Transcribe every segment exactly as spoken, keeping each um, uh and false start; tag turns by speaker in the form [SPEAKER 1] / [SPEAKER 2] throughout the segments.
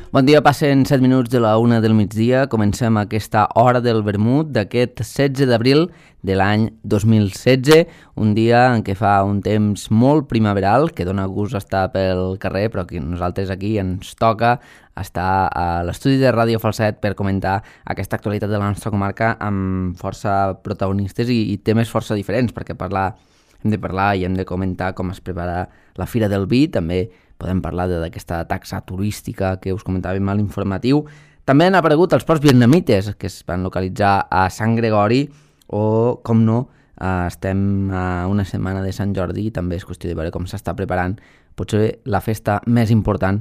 [SPEAKER 1] Bon dia, passen set minuts de la una del migdia. Comencem aquesta hora del vermut d'aquest setze d'abril de l'any dos mil setze, un dia en què fa un temps molt primaveral, que dona gust estar pel carrer, però que nosaltres aquí ens toca estar a l'estudi de Ràdio Falset per comentar aquesta actualitat de la nostra comarca amb força protagonistes i, i temes força diferents, perquè parlar, hem de parlar i hem de comentar com es prepara la Fira del Vi, també podem parlar d'aquesta taxa turística que us comentàvem a l'informatiu. També han aparegut els ports vietnamites que es van localitzar a Sant Gregori o, com no, estem a una setmana de Sant Jordi i també és qüestió de veure com s'està preparant potser la festa més important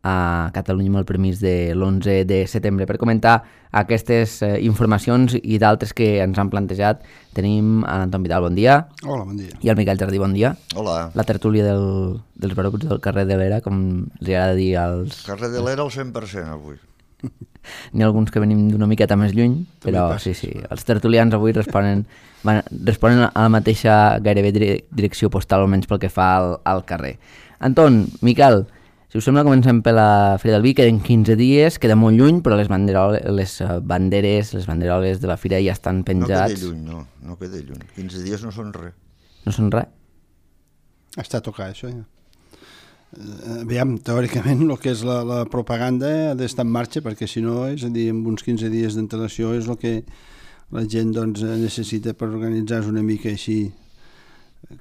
[SPEAKER 1] a Catalunya amb el permís de l'onze de setembre. Per comentar aquestes eh, informacions i d'altres que ens han plantejat tenim a l'Anton Vidal, bon dia.
[SPEAKER 2] Hola, bon dia.
[SPEAKER 1] I el Miquel Jardí, bon dia.
[SPEAKER 3] Hola.
[SPEAKER 1] La tertúlia del, dels baruts del carrer de l'Era, com els agrada dir als...
[SPEAKER 3] Carrer de l'Era al cent per cent avui.
[SPEAKER 1] N'hi ha alguns que venim d'una miqueta més lluny, però sí, sí, els tertulians avui responen, van, responen a la mateixa gairebé direcció postal, almenys pel que fa al, al carrer. Anton, Miquel, si us sembla, comencem per la Fira del Vi, queden quinze dies, queda molt lluny, però les, les banderes, les banderoles de la Fira ja estan penjats.
[SPEAKER 3] No queda lluny, no, no queda lluny. quinze dies no són res.
[SPEAKER 1] No són res?
[SPEAKER 2] Està a tocar, això, ja. Uh, aviam, teòricament, el que és la, la propaganda ha d'estar en marxa, perquè si no, és a dir, amb uns quinze dies d'antelació és el que la gent doncs, necessita per organitzar-se una mica així,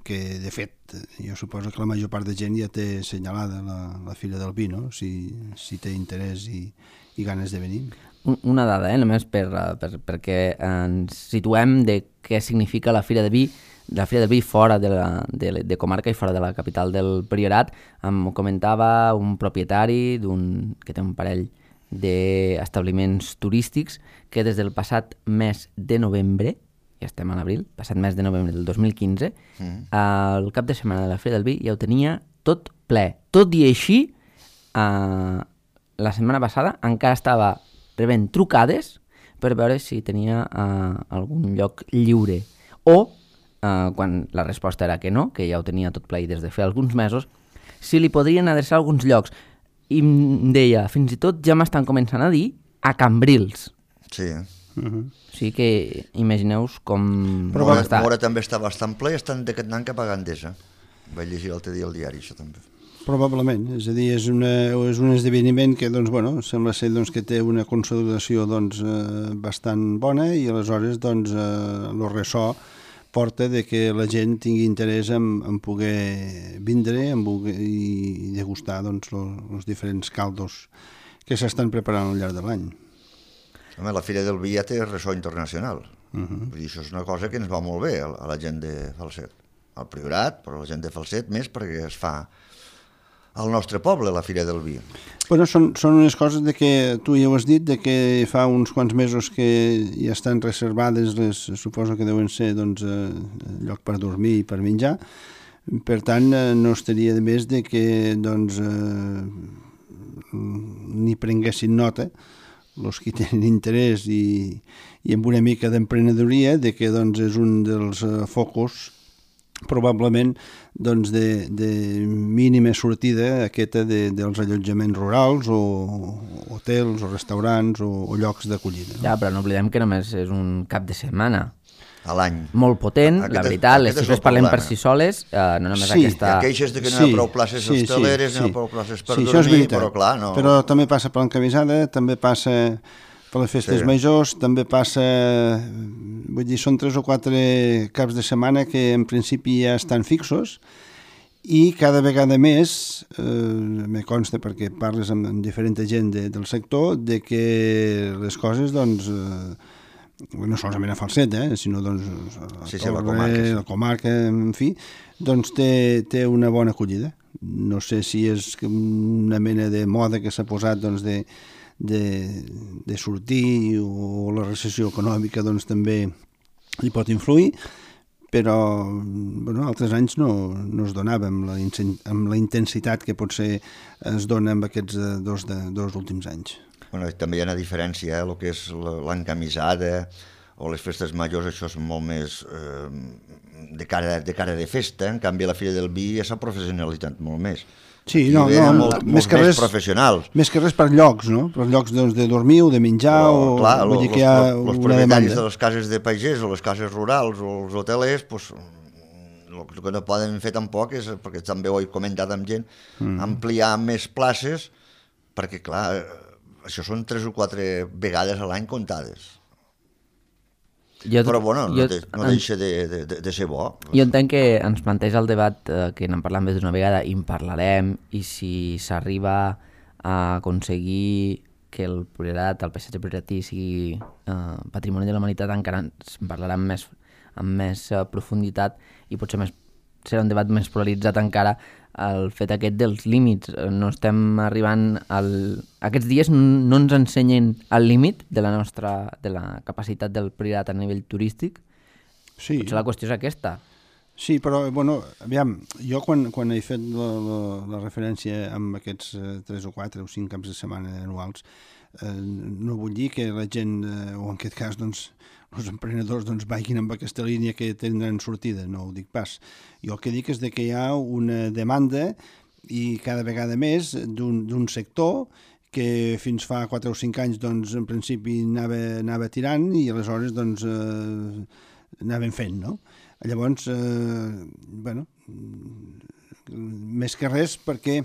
[SPEAKER 2] que de fet jo suposo que la major part de gent ja té assenyalada la, la Fira del Vi, no? si, si té interès i, i ganes de venir.
[SPEAKER 1] Una dada, eh? només per, per, perquè ens situem de què significa la Fira de Vi, la Fira del Vi fora de, la, de, de comarca i fora de la capital del Priorat. Em comentava un propietari d'un que té un parell d'establiments turístics que des del passat mes de novembre, ja estem a l'abril, passat mes de novembre del dos mil quinze, mm. al cap de setmana de la Fira del Vi ja ho tenia tot ple. Tot i així, eh, la setmana passada encara estava rebent trucades per veure si tenia eh, algun lloc lliure. O, eh, quan la resposta era que no, que ja ho tenia tot ple i des de fer alguns mesos, si li podrien adreçar alguns llocs. I em deia, fins i tot ja m'estan començant a dir a Cambrils.
[SPEAKER 3] Sí.
[SPEAKER 2] Uh-huh.
[SPEAKER 1] O sigui que imagineu-vos com...
[SPEAKER 3] Però Mora, està. Mora també està bastant ple i estan anant cap a Gandesa. Vaig llegir l'altre dia al diari, això també.
[SPEAKER 2] Probablement, és a dir, és, una, és un esdeveniment que doncs, bueno, sembla ser doncs, que té una consolidació doncs, eh, bastant bona i aleshores doncs, eh, el ressò porta de que la gent tingui interès en, en poder vindre en poder, i degustar doncs, els diferents caldos que s'estan preparant al llarg de l'any.
[SPEAKER 3] Home, la Fira del Vi ja té ressò internacional.
[SPEAKER 2] Uh-huh.
[SPEAKER 3] Vull dir, això és una cosa que ens va molt bé a la gent de Falset. Al Priorat, però la gent de Falset més perquè es fa al nostre poble, la Fira del Vi.
[SPEAKER 2] Bueno, són, són unes coses de que tu ja ho has dit, de que fa uns quants mesos que ja estan reservades, les, suposo que deuen ser doncs, eh, lloc per dormir i per menjar. Per tant, eh, no estaria de més de que doncs, eh, ni prenguessin nota els que tenen interès i, i amb una mica d'emprenedoria de que doncs, és un dels uh, focus probablement doncs, de, de mínima sortida aquesta de, dels allotjaments rurals o hotels o restaurants o, o llocs d'acollida. No?
[SPEAKER 1] Ja, però no oblidem que només és un cap de setmana.
[SPEAKER 3] A l'any.
[SPEAKER 1] Molt potent, aquest, la veritat, les xifres parlen per si soles, eh, no només
[SPEAKER 2] sí,
[SPEAKER 1] aquesta...
[SPEAKER 3] Hi ha queixes de que no
[SPEAKER 2] sí,
[SPEAKER 3] hi ha prou places
[SPEAKER 2] sí,
[SPEAKER 3] hosteleres,
[SPEAKER 2] sí,
[SPEAKER 3] no hi
[SPEAKER 2] sí.
[SPEAKER 3] ha prou places per
[SPEAKER 2] sí,
[SPEAKER 3] dormir, però clar, no...
[SPEAKER 2] Però també passa per l'encamisada, també passa per les festes sí. majors, també passa... Vull dir, són tres o quatre caps de setmana que en principi ja estan fixos i cada vegada més, eh, me consta perquè parles amb, amb diferent gent de, del sector, de que les coses, doncs... Eh, no solament a Falset, eh, sinó doncs, a
[SPEAKER 3] sí, sí,
[SPEAKER 2] Torre,
[SPEAKER 3] la comarca, sí.
[SPEAKER 2] la comarca, en fi, doncs té, té una bona acollida. No sé si és una mena de moda que s'ha posat doncs, de, de, de sortir o la recessió econòmica doncs, també hi pot influir, però bueno, altres anys no, no es donava amb la, amb la intensitat que potser es dona amb aquests dos, de, dos últims anys.
[SPEAKER 3] Bueno, també hi ha una diferència, eh? El que és l'encamisada o les festes majors, això és molt més eh, de, cara, de cara de festa, en canvi a la Fira del Vi ja s'ha professionalitzat molt més.
[SPEAKER 2] Sí, no, no,
[SPEAKER 3] molt, més, que res, més professionals.
[SPEAKER 2] Més que res per llocs, no? Per llocs doncs, de dormir o de menjar, però, o clar, vull dir que hi ha
[SPEAKER 3] los,
[SPEAKER 2] una
[SPEAKER 3] los propietaris
[SPEAKER 2] demanda.
[SPEAKER 3] De les cases de pagès o les cases rurals o els hotelers, pues, el que no poden fer tampoc és, perquè també ho he comentat amb gent, mm. ampliar més places, perquè clar, això són tres o quatre vegades a l'any comptades. Jo, però bueno, no, jo, de, no deixa de, de, de ser bo.
[SPEAKER 1] Jo entenc que ens planteja el debat, eh, que n'hem parlat més d'una vegada i en parlarem, i si s'arriba a aconseguir que el Priorat, el paisatge prioratí sigui eh, patrimoni de la humanitat, encara ens en parlarem més, amb més eh, profunditat i potser més, serà un debat més polaritzat encara, el fet aquest dels límits. No estem arribant al... Aquests dies no ens ensenyen el límit de la nostra, de la capacitat del Priorat a nivell turístic. Sí. Potser la qüestió és aquesta.
[SPEAKER 2] Sí, però, bueno, aviam, jo quan, quan he fet la, la, la referència amb aquests eh, tres o quatre o cinc caps de setmana anuals, eh, no vull dir que la gent, eh, o en aquest cas, doncs, els emprenedors doncs, vagin amb aquesta línia que tindran sortida, no ho dic pas. Jo el que dic és de que hi ha una demanda i cada vegada més d'un sector que fins fa quatre o cinc anys doncs, en principi anava, anava tirant i aleshores doncs, eh, anaven fent, no? Llavors, eh, bueno, més que res perquè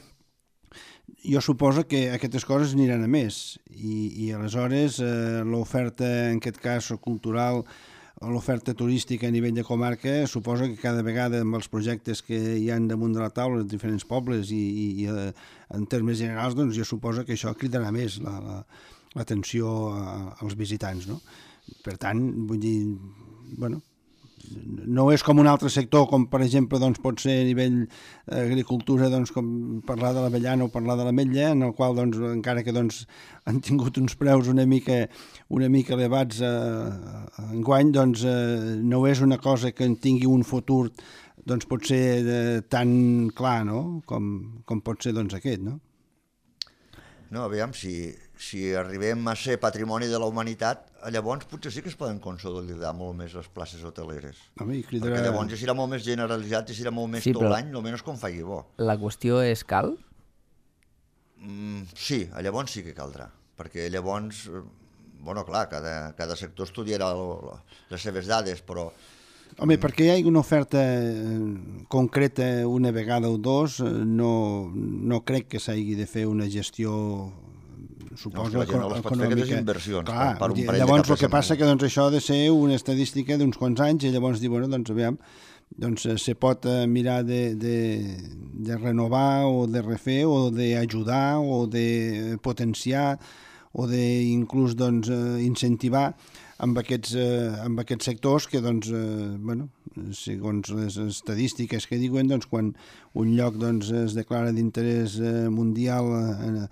[SPEAKER 2] jo suposo que aquestes coses aniran a més i, i aleshores eh, l'oferta, en aquest cas cultural, o l'oferta turística a nivell de comarca, suposo que cada vegada amb els projectes que hi ha damunt de la taula en diferents pobles i, i, i eh, en termes generals, doncs jo suposo que això cridarà més l'atenció la, la, als visitants, no? Per tant, vull dir, bueno, no és com un altre sector, com per exemple doncs, pot ser a nivell agricultura, doncs, com parlar de l'avellana o parlar de l'ametlla, en el qual doncs, encara que doncs, han tingut uns preus una mica, una mica elevats eh, enguany, doncs, eh, no és una cosa que en tingui un futur doncs, pot ser eh, tan clar, no? com, com pot ser doncs, aquest, no?
[SPEAKER 3] No, aviam, si, si arribem a ser patrimoni de la humanitat, llavors potser sí que es poden consolidar molt més les places hoteleres.
[SPEAKER 2] Home, cridarà...
[SPEAKER 3] Perquè llavors ja serà molt més generalitzat i serà molt més sí, tot l'any, almenys com faci bo.
[SPEAKER 1] La qüestió és cal?
[SPEAKER 3] Mm, sí, llavors sí que caldrà, perquè llavors, bueno, clar, cada, cada sector estudiarà les seves dades, però...
[SPEAKER 2] Home, perquè hi ha una oferta concreta una vegada o dos, no, no crec que s'hagi de fer una gestió, suposo,
[SPEAKER 3] no, no les pot fer aquestes inversions.
[SPEAKER 2] Clar, per un llavors el que passa que doncs, això ha de ser una estadística d'uns quants anys i llavors dir, bueno, doncs aviam, doncs se pot mirar de, de, de renovar o de refer o d'ajudar o de potenciar o d'inclús doncs, incentivar amb aquests, eh, amb aquests sectors que, doncs, eh, bueno, segons les estadístiques que diuen, doncs, quan un lloc doncs, es declara d'interès eh, mundial eh,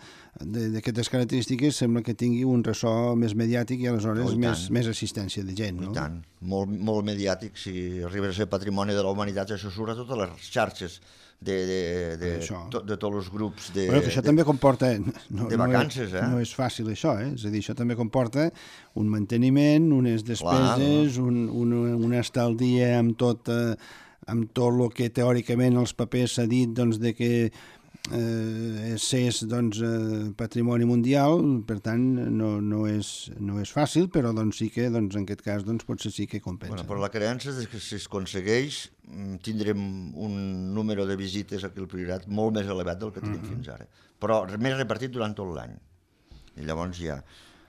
[SPEAKER 2] d'aquestes característiques, sembla que tingui un ressò més mediàtic i aleshores oh, i més, més assistència de gent. No?
[SPEAKER 3] I tant, molt, molt mediàtic. Si arriba a ser patrimoni de la humanitat, això surt a totes les xarxes de, de, de, to, de tots els grups de,
[SPEAKER 2] bueno, que això
[SPEAKER 3] de,
[SPEAKER 2] també comporta no,
[SPEAKER 3] de vacances.
[SPEAKER 2] No és,
[SPEAKER 3] eh?
[SPEAKER 2] no és fàcil això, eh? És a dir, això també comporta un manteniment, unes despeses, Clar, un, un, una estaldia amb tot, eh, amb tot el que teòricament els papers s'ha dit doncs, de que eh, és doncs, eh, patrimoni mundial, per tant no, no, és, no és fàcil, però doncs, sí que doncs, en aquest cas doncs, potser sí que compensa.
[SPEAKER 3] Bueno, però la creença és que si es aconsegueix tindrem un número de visites aquí al Priorat molt més elevat del que tenim uh-huh. fins ara, però més repartit durant tot l'any. I llavors ja...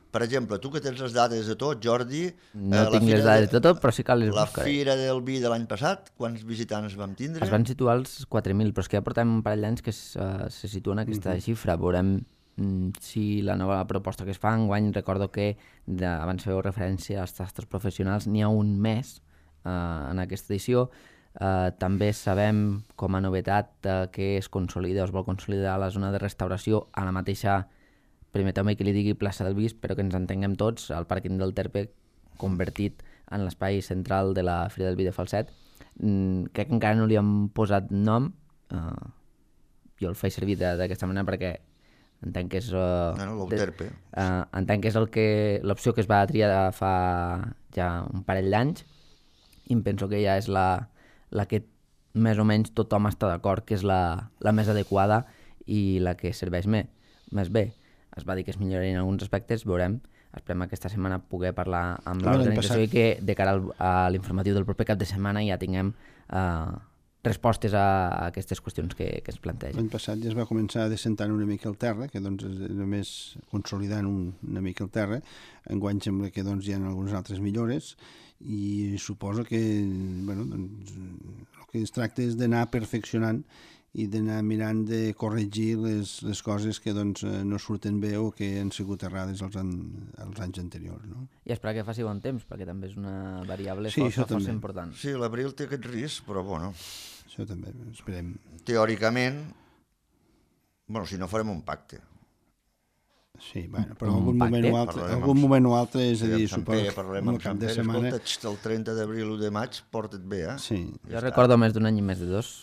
[SPEAKER 3] Per exemple, tu que tens les dades de tot, Jordi...
[SPEAKER 1] No eh, tinc les dades de tot, però sí que les
[SPEAKER 3] la
[SPEAKER 1] buscaré.
[SPEAKER 3] La Fira del Vi de l'any passat, quants visitants vam tindre?
[SPEAKER 1] Es van situar als quatre mil, però és que ja portem un parell d'anys que uh, se situen aquesta uh-huh. xifra. Veurem mm, si la nova proposta que es fa enguany, recordo que de, abans feu referència als tastos professionals, n'hi ha un mes uh, en aquesta edició. Uh, també sabem, com a novetat, uh, que es consolida o es vol consolidar la zona de restauració a la mateixa... Permeteu-me que li digui plaça del Vis, però que ens entenguem tots, el pàrquing del Terpe convertit en l'espai central de la Fira del Vi de Falset. Mm, crec que encara no li han posat nom, uh, jo el faig servir d'aquesta manera perquè entenc que és uh,
[SPEAKER 3] no, no, l'Euterpe.
[SPEAKER 1] Uh, entenc que és el que l'opció que es va triar fa ja un parell d'anys i em penso que ja és la, la que més o menys tothom està d'acord que és la, la més adequada i la que serveix més, més bé. Es va dir que es millorarien alguns aspectes, veurem. Esperem aquesta setmana poder parlar amb l'organització i que de cara al, a l'informatiu del proper cap de setmana ja tinguem uh, respostes a, a aquestes qüestions que, que es plantegen.
[SPEAKER 2] L'any passat ja es va començar descentant una mica el terra, que doncs és només consolidant un, una mica el terra. Enguany sembla que doncs, hi ha algunes altres millores i suposo que bueno, doncs, el que es tracta és d'anar perfeccionant i d'anar mirant de corregir les, les coses que doncs, no surten bé o que han sigut errades els, an, els anys anteriors. No?
[SPEAKER 1] I esperar que faci bon temps, perquè també és una variable
[SPEAKER 2] sí,
[SPEAKER 1] força, força important.
[SPEAKER 3] Sí, l'abril té aquest risc, però bueno.
[SPEAKER 2] Això també, esperem.
[SPEAKER 3] Teòricament, bueno, si no farem un pacte.
[SPEAKER 2] Sí, bueno, però algun moment, o altre, algun moment o altre, és a dir, suposo que
[SPEAKER 3] el cap de setmana... Escolta, el trenta d'abril o de maig, porta't bé, eh?
[SPEAKER 2] Sí.
[SPEAKER 1] Jo ja recordo més d'un any i més de dos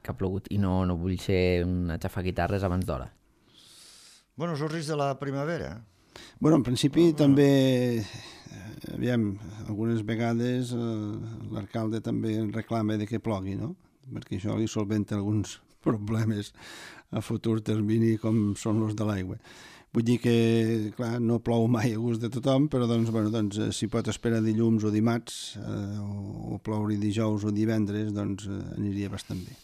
[SPEAKER 1] que ha plogut i no, no vull ser una xafaguitarres abans d'hora.
[SPEAKER 3] Bueno, és el risc de la primavera.
[SPEAKER 2] Bueno, en principi oh, també, aviam, algunes vegades eh, l'alcalde també reclama de que plogui, no? Perquè això li solventa alguns problemes a futur termini com són els de l'aigua. Vull dir que, clar, no plou mai a gust de tothom, però doncs, bueno, doncs, si pot esperar dilluns o dimarts eh, o, o ploure dijous o divendres, doncs eh, aniria bastant bé.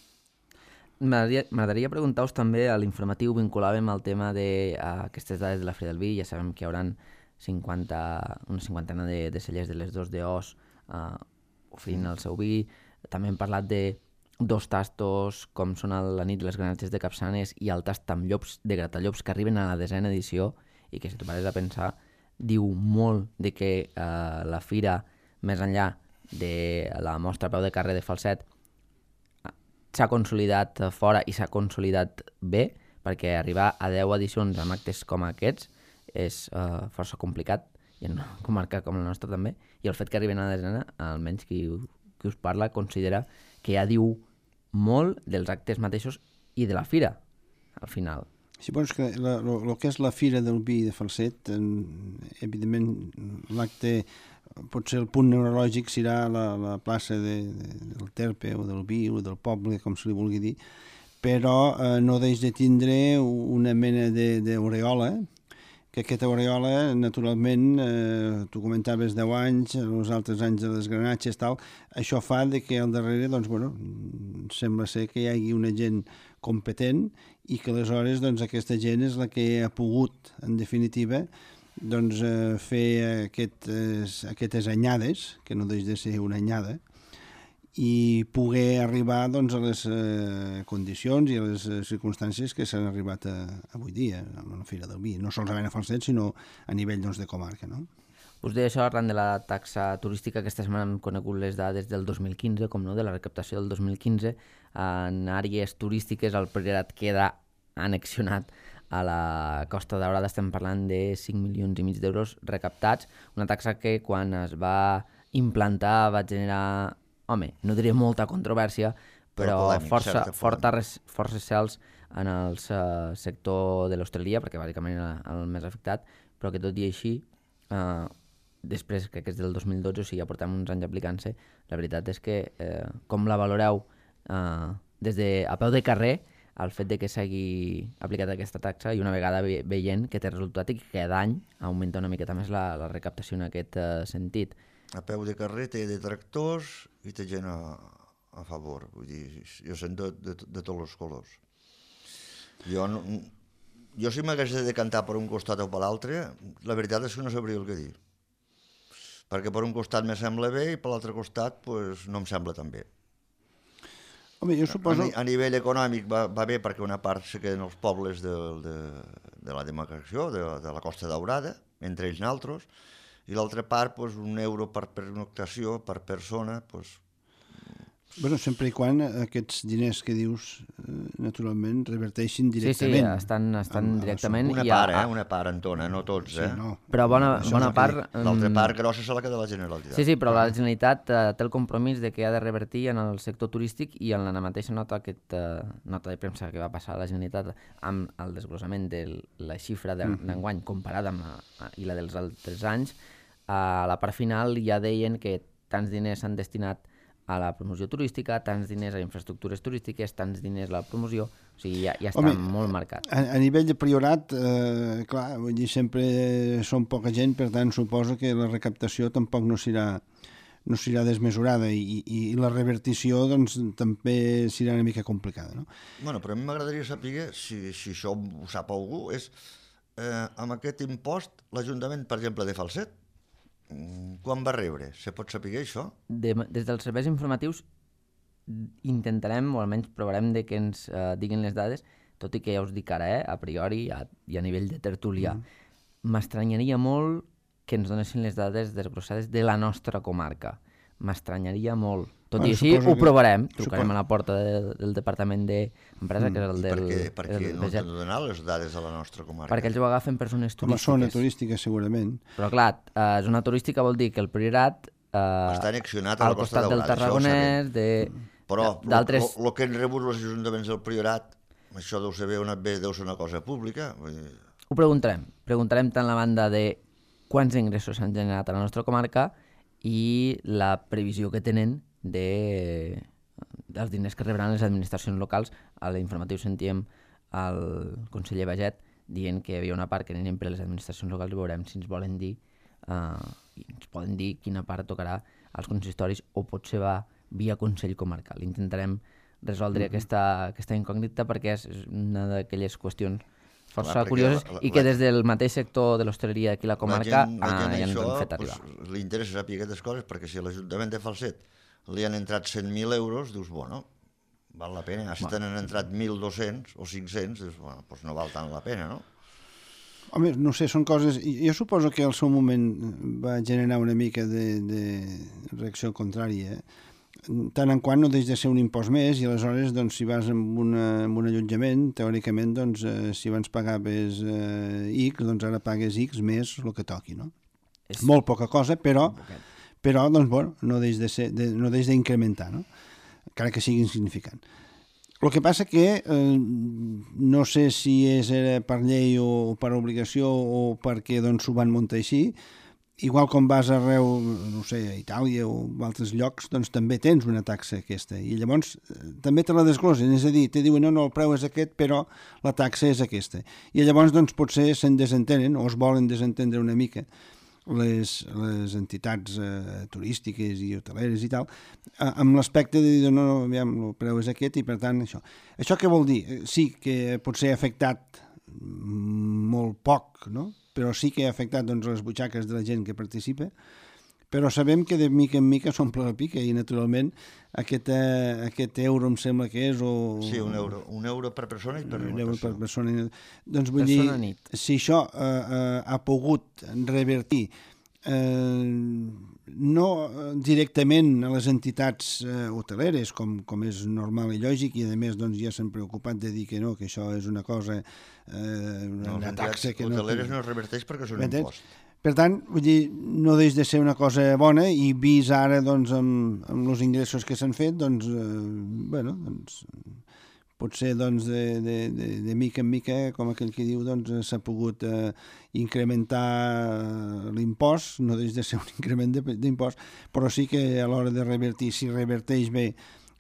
[SPEAKER 1] M'agradaria preguntar-vos també a l'informatiu, vinculàvem al tema d'aquestes uh, dades de la Fira del Vi, ja sabem que hi haurà cinquanta, una cinquantena de, de cellers de les dos d'Os uh, oferint el seu vi. També hem parlat de dos tastos com són el, la nit les granatges de Capçanes i el tast amb llops de Gratallops que arriben a la desena edició i que si tu pares a pensar diu molt de que uh, la Fira, més enllà de la mostra a peu de carrer de Falset, s'ha consolidat fora i s'ha consolidat bé, perquè arribar a deu edicions amb actes com aquests és uh, força complicat, i en una comarca com la nostra també, i el fet que arriben a la desena, almenys qui, qui us parla, considera que ja diu molt dels actes mateixos i de la fira, al final.
[SPEAKER 2] Sí, però és que el que és la Fira del Vi de Falset, eh, evidentment l'acte, potser el punt neurològic serà la, la plaça de, de, del Terpe o del Vi o del poble, com se li vulgui dir, però eh, no deix de tindre una mena d'aureola, que aquesta aureola, naturalment, eh, tu comentaves deu anys, els altres anys de les granatges, tal, això fa de que al darrere, doncs, bueno, sembla ser que hi hagi una gent competent i que aleshores doncs, aquesta gent és la que ha pogut, en definitiva, doncs, eh, fer aquestes, aquestes anyades, que no deix de ser una anyada, i poder arribar doncs, a les eh, condicions i a les eh, circumstàncies que s'han arribat a, avui dia a la Fira del Vi, no solament a Falset, sinó a nivell doncs, de comarca. No?
[SPEAKER 1] Us deia això arran de la taxa turística. Aquesta setmana hem conegut les dades del dos mil quinze, com no, de la recaptació del dos mil quinze. En àrees turístiques el Priorat queda annexionat a la Costa Daurada. Estem parlant de cinc milions i mig d'euros recaptats, una taxa que quan es va implantar va generar, home, no diré molta controvèrsia, però polèmic, força, forta, força cels en el uh, sector de l'hostaleria, perquè bàsicament era el més afectat, però que tot i així, uh, després, crec que és del dos mil dotze, o sigui, ja portem uns anys aplicant-se, la veritat és que, eh, com la valoreu uh, des de a peu de carrer, el fet de que s'hagi aplicat aquesta taxa i una vegada ve veient que té resultat i que cada any augmenta una miqueta més la, la recaptació en aquest uh, sentit.
[SPEAKER 3] A peu de carrer té detractors i té gent a, a favor. Vull dir, jo sent de, de, de tots els colors. Jo, no, jo si m'hagués de decantar per un costat o per l'altre, la veritat és que no sabria el que dir. Perquè per un costat me sembla bé i per l'altre costat pues, no em sembla tan bé.
[SPEAKER 2] Home, jo suposo...
[SPEAKER 3] A, a nivell econòmic va, va bé perquè una part se queden els pobles de, de, de la demarcació, de, de la Costa Daurada, entre ells naltros, i l'altra part, pues, un euro per pernoctació, per persona, pues,
[SPEAKER 2] Bueno, sempre i quan aquests diners que dius, eh, naturalment, reverteixin
[SPEAKER 1] Sí, sí,
[SPEAKER 2] directament.
[SPEAKER 1] estan, estan
[SPEAKER 2] Amb-
[SPEAKER 1] directament...
[SPEAKER 3] Una
[SPEAKER 1] i a-
[SPEAKER 3] part, eh? Una part, Antona, no tots,
[SPEAKER 2] Sí,
[SPEAKER 3] eh?
[SPEAKER 2] no.
[SPEAKER 1] Però bona,
[SPEAKER 2] Això
[SPEAKER 1] bona
[SPEAKER 2] és el que
[SPEAKER 1] part...
[SPEAKER 2] dic.
[SPEAKER 3] L'altra
[SPEAKER 1] mm,
[SPEAKER 3] part grossa se la queda la Generalitat.
[SPEAKER 1] Sí, sí, però la Generalitat eh, té el compromís de que ha de revertir en el sector turístic i en la mateixa nota, aquesta nota de premsa que va passar a la Generalitat amb el desglossament de la xifra de- d'enguany comparada amb la, i la dels altres anys, a la part final ja deien que tants diners s'han destinat a la promoció turística, tants diners a infraestructures turístiques, tants diners a la promoció, o sigui, ja, ja està
[SPEAKER 2] Home,
[SPEAKER 1] molt marcat.
[SPEAKER 2] A, a nivell de priorat, eh, clar, vull dir, sempre són poca gent, per tant, suposo que la recaptació tampoc no serà no serà desmesurada i, i, i la revertició doncs, també serà una mica complicada, no?
[SPEAKER 3] Bueno, però a mi m'agradaria saber, si, si això ho sap algú, és eh, amb aquest impost, l'Ajuntament, per exemple, de Falset, quan va rebre? Se pot saber això?
[SPEAKER 1] De, des dels serveis informatius intentarem, o almenys provarem de que ens eh, diguin les dades, tot i que ja us dic ara, eh, a priori a, i a nivell de tertúlia. M'estranyaria molt que ens donessin les dades desglossades de la nostra comarca. M'estranyaria molt. Tot
[SPEAKER 2] Bueno,
[SPEAKER 1] i així
[SPEAKER 2] suposo
[SPEAKER 1] ho
[SPEAKER 2] que-
[SPEAKER 1] provarem. Trucarem
[SPEAKER 2] supo-
[SPEAKER 1] a la porta de, del Departament d'Empresa, que és el
[SPEAKER 3] I
[SPEAKER 1] del...
[SPEAKER 3] per què, per
[SPEAKER 1] el
[SPEAKER 3] què
[SPEAKER 1] del
[SPEAKER 3] no
[SPEAKER 1] G E T,
[SPEAKER 3] t'han de donar les dades de la nostra comarca?
[SPEAKER 1] perquè ells ho agafen persones
[SPEAKER 2] Com a zona
[SPEAKER 1] turístiques.
[SPEAKER 2] turística, segurament.
[SPEAKER 1] Però clar, eh, zona turística vol dir que el Priorat eh,
[SPEAKER 3] Està annexionat a la
[SPEAKER 1] al
[SPEAKER 3] Costa
[SPEAKER 1] costat del
[SPEAKER 3] Daurada, això ho
[SPEAKER 1] Tarragonès, de
[SPEAKER 3] Però
[SPEAKER 1] d'altres...
[SPEAKER 3] el que han rebut els ajuntaments del Priorat, això deu ser, una, bé, deu ser una cosa pública. Vull dir,
[SPEAKER 1] Ho preguntarem. Preguntarem tant la banda de quants ingressos s'han generat a la nostra comarca i la previsió que tenen de dels diners que rebran les administracions locals. A l'informatiu sentíem el conseller Baget dient que hi havia una part que anirien per les administracions locals i veurem si ens volen dir eh, i ens poden dir quina part tocarà als consistoris o potser va via Consell Comarcal. Intentarem resoldre mm-hmm. aquesta, aquesta incògnita perquè és una d'aquelles qüestions força
[SPEAKER 3] Clar, perquè
[SPEAKER 1] curioses
[SPEAKER 3] la- la-
[SPEAKER 1] i que
[SPEAKER 3] la-
[SPEAKER 1] des del mateix sector de l'hostaleria aquí a la comarca
[SPEAKER 3] la gent, la gent
[SPEAKER 1] ah, ja ens
[SPEAKER 3] això,
[SPEAKER 1] ho han fet arribar.
[SPEAKER 3] Pues, li interessa saber aquestes coses perquè si a l'Ajuntament de Falset li han entrat cent mil euros, dius, bueno, val la pena. Si t'han entrat mil dos-cents o cinc-cents, dius, bueno, pues no val tant la pena, no?
[SPEAKER 2] Home, no sé, són coses... Jo suposo que al seu moment va generar una mica de, de reacció contrària. Tant en quant no deix de ser un impost més i aleshores, doncs, si vas amb, una, amb un allotjament, teòricament, doncs, eh, si abans pagaves eh, X, doncs ara pagues X més el que toqui, no? És molt poca cosa, però, però doncs, bueno, no deix de ser, de, no deix d'incrementar, no? Encara que sigui insignificant. El que passa que eh, no sé si és per llei o per obligació o perquè doncs, ho van muntar així, igual com vas arreu, no sé, a Itàlia o a altres llocs, doncs també tens una taxa aquesta, i llavors eh, també te la desglosen, és a dir, te diuen no, no, el preu és aquest, però la taxa és aquesta. I llavors doncs potser se'n desentenen o es volen desentendre una mica les, les entitats eh, turístiques i hoteleres i tal, eh, amb l'aspecte de dir, no, no, aviam, el preu és aquest i per tant això. Això què vol dir? Eh, Sí que potser ha afectat molt poc, no? Però sí que ha afectat doncs, les butxaques de la gent que participa, però sabem que de mica en mica s'omple la pica i naturalment aquest, eh, aquest euro em sembla que és o...
[SPEAKER 3] Sí, un euro, un euro per persona i per
[SPEAKER 2] un euro per
[SPEAKER 3] persona.
[SPEAKER 2] persona. Doncs vull
[SPEAKER 1] Persona
[SPEAKER 2] dir,
[SPEAKER 1] nit.
[SPEAKER 2] si això eh, eh, ha pogut revertir eh, no directament a les entitats eh, hoteleres, com, com és normal i lògic, i a més doncs, ja s'han preocupat de dir que no, que això és una cosa, eh, una,
[SPEAKER 3] No,
[SPEAKER 2] una
[SPEAKER 3] les
[SPEAKER 2] taxa
[SPEAKER 3] entitats
[SPEAKER 2] que no...
[SPEAKER 3] hoteleres no es reverteix perquè són un
[SPEAKER 2] M'entens?
[SPEAKER 3] impost.
[SPEAKER 2] Per tant, vull dir, no deix de ser una cosa bona i vist ara doncs, amb, amb els ingressos que s'han fet, doncs, eh, bueno, doncs, potser doncs, de, de, de, de mica en mica, com aquell que diu, doncs, s'ha pogut eh, incrementar l'impost, no deix de ser un increment de- d'impost, però sí que a l'hora de revertir, si reverteix bé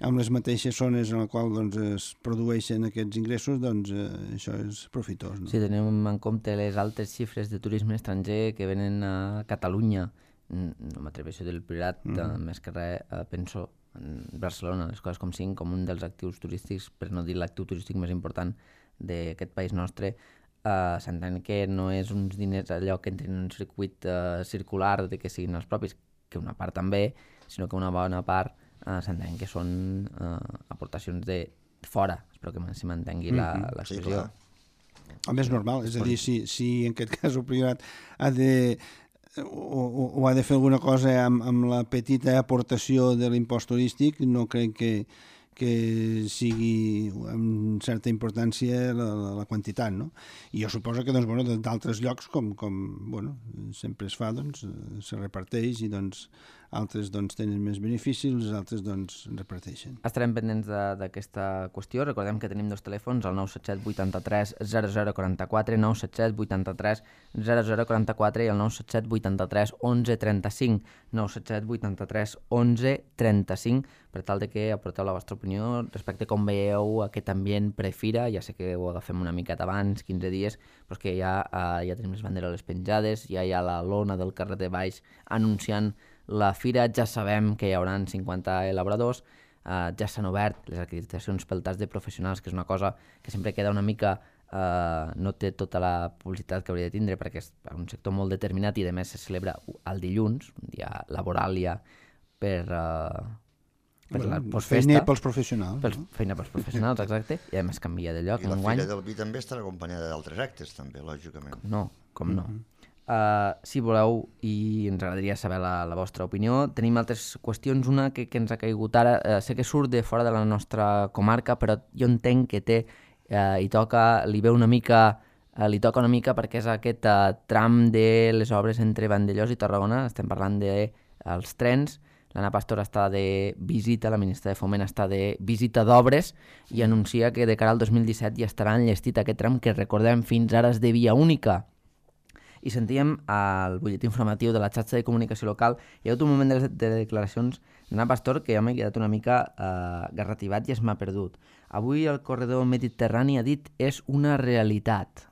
[SPEAKER 2] amb les mateixes zones en les quals doncs, es produeixen aquests ingressos, doncs eh, això és profitós. No?
[SPEAKER 1] Si tenim en compte les altes xifres de turisme estranger que venen a Catalunya, no m'atreveixo del Priorat, mm -hmm. més que res eh, penso en Barcelona, les coses com cinc, com un dels actius turístics, per no dir l'actiu turístic més important d'aquest país nostre, eh, s'entén que no és uns diners allò que entrin en un circuit eh, circular de que siguin els propis, que una part també, sinó que una bona part Uh, s'entén que són uh, aportacions de fora, espero que se mantengui
[SPEAKER 2] Mm-hmm.
[SPEAKER 1] l'expressió.
[SPEAKER 3] Sí,
[SPEAKER 2] Home, és normal, és a dir, si, si en aquest cas el Priorat ha de, o, o, o ha de fer alguna cosa amb, amb la petita aportació de l'impost turístic, no crec que, que sigui amb certa importància la, la, la quantitat, no? I jo suposo que doncs, bueno, d'altres llocs, com, com bueno, sempre es fa, doncs, se reparteix i doncs, altres doncs, tenen més beneficis, els altres doncs, reparteixen.
[SPEAKER 1] Estarem pendents d'aquesta qüestió. Recordem que tenim dos telèfons, el nou set set vuitanta-tres zero zero quaranta-quatre, nou set set vuitanta-tres zero zero quaranta-quatre i el nou set set vuitanta-tres onze trenta-cinc, nou set set vuitanta-tres onze trenta-cinc, per tal de que aporteu la vostra opinió respecte a com veieu aquest ambient prefira. Ja sé que ho agafem una miqueta abans, quinze dies, però és que ja, uh, ja tenim les banderes penjades, ja hi ha la lona del carrer de baix anunciant la fira, ja sabem que hi haurà cinquanta elaboradors, eh, ja s'han obert les acreditacions pel tast de professionals, que és una cosa que sempre queda una mica, eh, no té tota la publicitat que hauria de tindre, perquè és un sector molt determinat i a més se celebra el dilluns, un dia laboral ja per, eh, per
[SPEAKER 2] bueno,
[SPEAKER 1] la postfesta.
[SPEAKER 2] Feina pels professionals.
[SPEAKER 1] Pels,
[SPEAKER 2] no?
[SPEAKER 1] Feina pels professionals, exacte, i a més canvia de lloc.
[SPEAKER 3] I la
[SPEAKER 1] enguany.
[SPEAKER 3] Fira del Vi també estarà acompanyada d'altres actes, també, lògicament.
[SPEAKER 1] Com no, com no.
[SPEAKER 2] Mm-hmm.
[SPEAKER 1] Uh, si voleu, i ens agradaria saber la, la vostra opinió, tenim altres qüestions, una que, que ens ha caigut ara, uh, sé que surt de fora de la nostra comarca, però jo entenc que té, uh, i toca, li ve una mica, uh, li toca una mica perquè és aquest uh, tram de les obres entre Vandellòs i Tarragona, estem parlant dels de, trens. L'Anna Pastor està de visita, la ministra de Foment està de visita d'obres i anuncia que de cara al dos mil disset ja estarà enllestit aquest tram que, recordem, fins ara és de via única. I sentíem al butlletí informatiu de la xarxa de comunicació local, hi ha hagut un moment de, de declaracions d'Anna Pastor que jo m'he quedat una mica eh, garrativat i es m'ha perdut. Avui el corredor mediterrani ha dit és una realitat.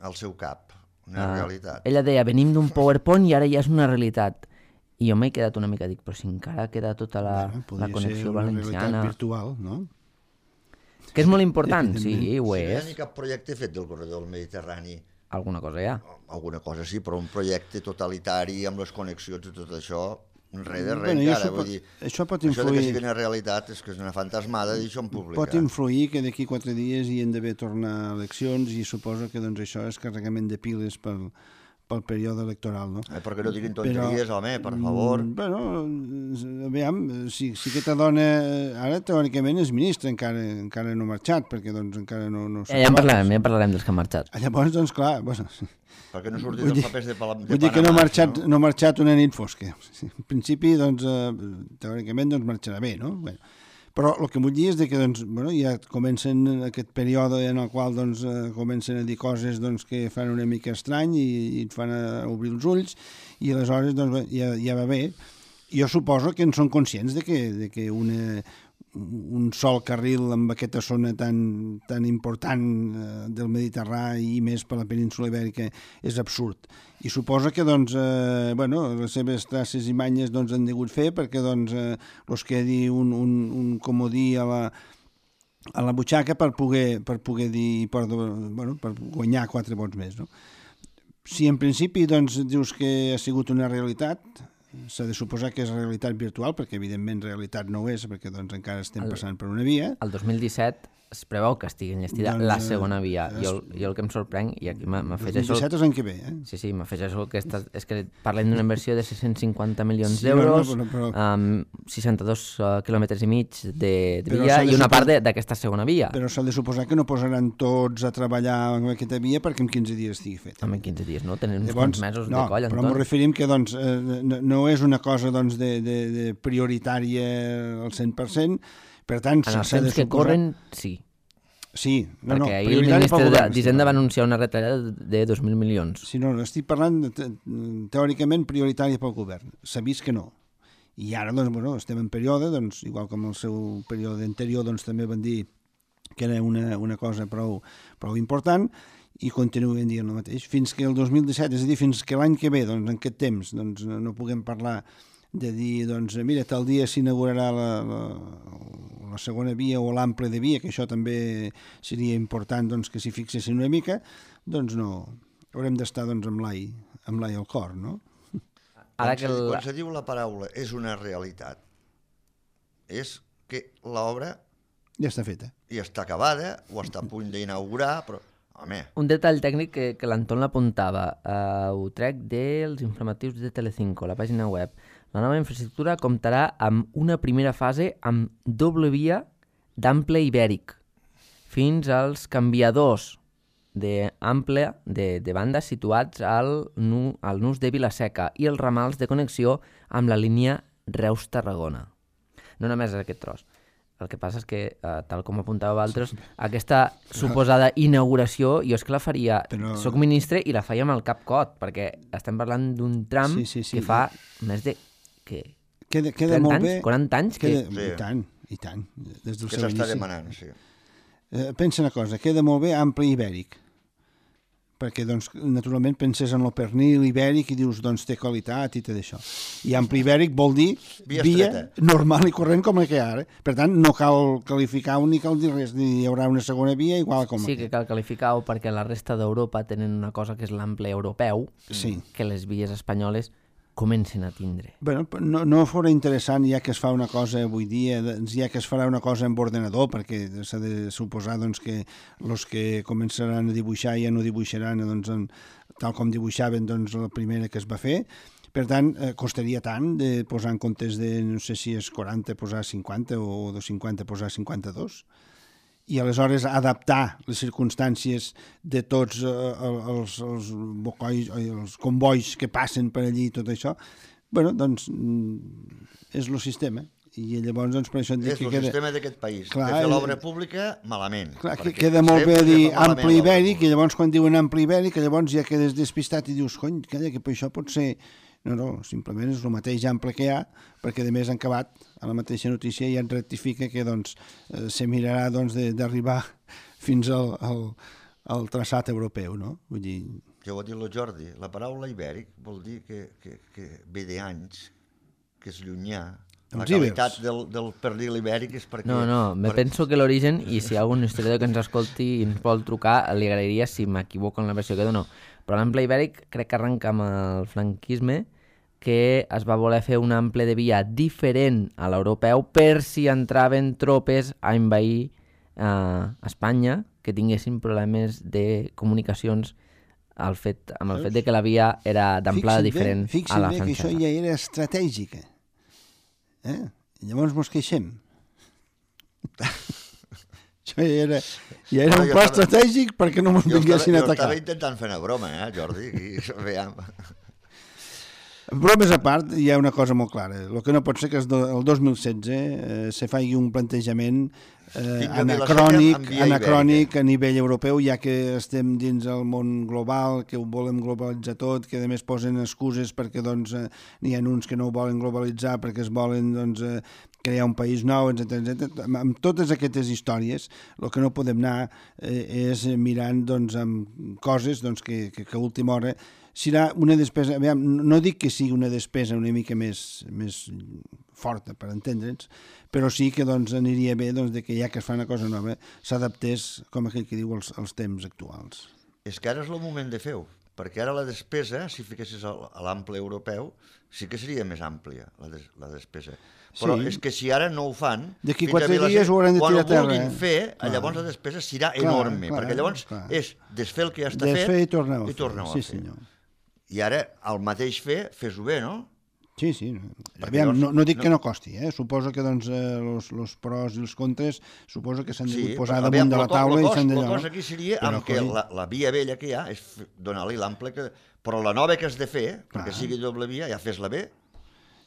[SPEAKER 3] Al seu cap, una uh, realitat.
[SPEAKER 1] Ella deia, venim d'un PowerPoint i ara ja és una realitat. I jo m'he quedat una mica, dic, però si encara queda tota la,
[SPEAKER 2] bueno,
[SPEAKER 1] la connexió
[SPEAKER 2] una
[SPEAKER 1] valenciana.
[SPEAKER 2] Virtual, no?
[SPEAKER 1] Que és molt important, sí, ho
[SPEAKER 3] és. Si no hi ha
[SPEAKER 1] és.
[SPEAKER 3] ni cap projecte fet del corredor del Mediterrani,
[SPEAKER 1] alguna cosa hi ha.
[SPEAKER 3] Alguna cosa sí, però un projecte totalitari amb les connexions i tot això, res de res
[SPEAKER 2] bueno,
[SPEAKER 3] encara.
[SPEAKER 2] Això
[SPEAKER 3] Vull
[SPEAKER 2] pot,
[SPEAKER 3] dir,
[SPEAKER 2] això pot
[SPEAKER 3] influir...
[SPEAKER 2] influir...
[SPEAKER 3] Això que sigui una realitat és que és una fantasmada d'això en públic.
[SPEAKER 2] Pot influir que d'aquí quatre dies hi han d'haver tornar eleccions i suposo que doncs, això és carregament de piles pel, pel període electoral, no?
[SPEAKER 3] Eh, perquè no diguin tonteries, però, home, per favor.
[SPEAKER 2] Bueno, aviam, si, si aquesta dona ara teòricament és ministra, encara, encara no ha marxat, perquè doncs encara no... no
[SPEAKER 1] ja, ja en parlarem, ja en parlarem dels que han marxat.
[SPEAKER 2] Llavors, doncs clar, bueno,
[SPEAKER 3] perquè no surtin els papers de, de Panamà.
[SPEAKER 2] Vull dir que no ha marxat, no? no ha marxat una nit fosca. En principi, doncs, eh, teòricament, doncs marxarà bé, no? Bueno, però el que vull dir és que doncs, bueno, ja comencen aquest període en el qual doncs, eh, comencen a dir coses doncs, que fan una mica estrany i, i et fan a obrir els ulls i aleshores doncs, ja, ja va bé. Jo suposo que en són conscients de que, de que una, un sol carril amb aquesta zona tan, tan important eh, del Mediterrani i més per la península Ibèrica és absurd. I suposa que doncs, eh, bueno, les seves traces i manyes doncs, han degut fer perquè doncs, eh, els quedi un, un, un comodí a la, a la butxaca per poder, per poder dir, per, bueno, per guanyar quatre vots més. No? Si en principi doncs, dius que ha sigut una realitat, s'ha de suposar que és realitat virtual, perquè evidentment realitat no ho és, perquè doncs, encara estem el, passant per una via.
[SPEAKER 1] El dos mil disset es preveu que estigui enllestida doncs, la segona via.
[SPEAKER 2] Es...
[SPEAKER 1] Jo, jo el que em sorprèn, i aquí m'afegeixo...
[SPEAKER 2] dos mil disset és l'any que ve, eh?
[SPEAKER 1] Sí, sí, m'afegeixo que estàs, és que parlem d'una inversió de sis-cents cinquanta milions sí, d'euros, no, no, però, però... amb seixanta-dos uh, quilòmetres i mig de, de via i una supos... part d'aquesta segona via.
[SPEAKER 2] Però s'ha de suposar que no posaran tots a treballar en aquesta via perquè en quinze dies estigui fet.
[SPEAKER 1] Home, en quinze dies, no? Tenen uns quants mesos
[SPEAKER 2] no,
[SPEAKER 1] de coll, Anton.
[SPEAKER 2] Però m'ho referim que doncs, eh, no, no és una cosa doncs, de, de, de prioritària al cent per cent, per tant...
[SPEAKER 1] En els temps que suposar... corren, sí.
[SPEAKER 2] Sí, no, no,
[SPEAKER 1] perquè ahir el ministre d'Hisenda va anunciar una retallada de dos mil milions.
[SPEAKER 2] Sí, no, estic parlant te, teòricament prioritària pel govern. S'ha vist que no. I ara, doncs, bueno, estem en període, doncs, igual com el seu període anterior, doncs, també van dir que era una, una cosa prou, prou important i continuen dient el mateix. Fins que el dos mil disset, és a dir, fins que l'any que ve, doncs, en aquest temps, doncs, no puguem parlar de dir, doncs, mira, tal dia s'inaugurarà la, la, la segona via o l'ample de via, que això també seria important doncs, que s'hi fixessin una mica, doncs no, haurem d'estar doncs, amb l'ai amb l'ai al cor, no?
[SPEAKER 3] Ara que el... Quan se diu la paraula és una realitat, és que l'obra
[SPEAKER 2] ja està feta.
[SPEAKER 3] I està acabada, o està a punt d'inaugurar, però home...
[SPEAKER 1] Un detall tècnic que, que l'Anton l'apuntava, uh, ho trec dels informatius de Telecinco, la pàgina web. La nova infraestructura comptarà amb una primera fase amb doble via d'ample ibèric, fins als canviadors d'ample de, de banda situats al, nu, al nus de Vila-seca i els ramals de connexió amb la línia Reus-Tarragona. No només aquest tros. El que passa és que, eh, tal com apuntava Valtros, aquesta suposada inauguració, jo és que la faria, Però... soc ministre i la faria amb el cap cot, perquè estem parlant d'un tram sí, sí, sí, que fa sí. més de... Que,
[SPEAKER 2] queda, queda molt
[SPEAKER 1] anys,
[SPEAKER 2] bé.
[SPEAKER 1] quaranta anys?
[SPEAKER 2] Queda,
[SPEAKER 1] que...
[SPEAKER 2] sí. I tant, i tant. Des del
[SPEAKER 3] que s'està demanant, sí.
[SPEAKER 2] Eh, pensa una cosa, queda molt bé ample ibèric, perquè doncs, naturalment penses en el pernil ibèric i dius doncs té qualitat i tot això. I ample ibèric vol dir via, via normal i corrent com la que hi ha ara. Per tant, no cal qualificar un ni cal dir res, hi haurà una segona via igual com
[SPEAKER 1] sí que cal qualificar-ho perquè la resta d'Europa tenen una cosa que és l'ample europeu,
[SPEAKER 2] sí.
[SPEAKER 1] que les vies espanyoles comencen a tindre.
[SPEAKER 2] Bueno, no, no fora interessant ja que es fa una cosa avui dia, ja que es farà una cosa amb ordenador, perquè s'ha de suposar doncs, que els que començaran a dibuixar ja no dibuixaran doncs, en, tal com dibuixaven doncs, la primera que es va fer. Per tant, eh, costaria tant de posar en comptes de, no sé si és quaranta, posar cinquanta o de cinquanta posar cinquanta-dos. I aleshores adaptar les circumstàncies de tots eh, els, els, bocois, els convois que passen per allí i tot això, bueno, doncs és el sistema. I llavors, doncs, per això et dic
[SPEAKER 3] és
[SPEAKER 2] que
[SPEAKER 3] el
[SPEAKER 2] queda...
[SPEAKER 3] sistema d'aquest país.
[SPEAKER 2] Clar,
[SPEAKER 3] de fer l'obra pública, malament.
[SPEAKER 2] Clar, que queda molt bé dir ampli ibèric, i llavors quan diuen ampli ibèric, llavors ja quedes despistat i dius, cony, calla, que per això pot ser... No, no, simplement és el mateix ample que hi ha, perquè a més han acabat a la mateixa notícia i en rectifica que doncs, eh, se mirarà doncs, d'arribar fins al, al, al traçat europeu, no? Vull dir...
[SPEAKER 3] Ja ho ha dit el Jordi, la paraula ibèric vol dir que, que, que ve d'anys, que és llunyà. La qualitat del, del pernil ibèric és perquè...
[SPEAKER 1] No, no, me per... penso que l'origen, i si hi ha algun historiador que ens escolti i ens vol trucar, li agrairia si m'equivoco en la versió que dono. Però l'ample ibèric crec que arrenca amb el franquisme, que es va voler fer un ample de via diferent a l'europeu per si entraven tropes a envair eh, Espanya, que tinguessin problemes de comunicacions al fet, amb el fet de que la via era d'amplada diferent
[SPEAKER 2] bé,
[SPEAKER 1] a la
[SPEAKER 2] francesa. Fixa't bé que això ja era estratègica. Eh? I llavors mos queixem. Això ja era, ja era no, un pla estava, estratègic perquè no mos vinguessin a atacar.
[SPEAKER 3] Jo estava intentant fer una broma, eh, Jordi? I, veiem.
[SPEAKER 2] Bromes a part, hi ha una cosa molt clara. El que no pot ser que el dos mil setze eh, se faci un plantejament eh, anacrònic, anacrònic a nivell europeu, ja que estem dins el món global, que ho volem globalitzar tot, que a més posen excuses perquè doncs, eh, n'hi ha uns que no ho volen globalitzar perquè es volen doncs, eh, crear un país nou, etcètera, etcètera. Amb totes aquestes històries, el que no podem anar eh, és mirant doncs, amb coses doncs, que, que, que a última hora serà una despesa, aviam, no dic que sigui una despesa una mica més, més forta, per entendre'ns, però sí que doncs, aniria bé doncs, de que ja que es fa una cosa nova s'adaptés, com aquell que diu, als, als temps actuals.
[SPEAKER 3] És que ara és el moment de fer-ho, perquè ara la despesa, si fiquessis a l'ample europeu, sí que seria més àmplia, la, des, la despesa. Però sí. És que si ara no ho fan...
[SPEAKER 2] D'aquí quatre dies ho hauran de tirar a terra.
[SPEAKER 3] Quan ho vulguin fer, clar. Llavors la despesa serà clar, enorme, clar, perquè llavors clar. És desfer el que ja està
[SPEAKER 2] desfer
[SPEAKER 3] fet
[SPEAKER 2] i tornar-ho
[SPEAKER 3] i tornar
[SPEAKER 2] sí,
[SPEAKER 3] a fer.
[SPEAKER 2] Senyor.
[SPEAKER 3] I ara, el mateix fer, fes-ho bé, no?
[SPEAKER 2] Sí, sí. Aviam, no, no dic no... que no costi, eh? Suposo que doncs, els eh, pros i els contres suposo que s'han de sí, posar damunt aviam, de la taula
[SPEAKER 3] la
[SPEAKER 2] i s'han de...
[SPEAKER 3] La cosa aquí seria però amb que la, la via vella que hi ha és donar-li l'ample que... Però la nova que has de fer, clar. Perquè sigui doble via, ja fes-la bé.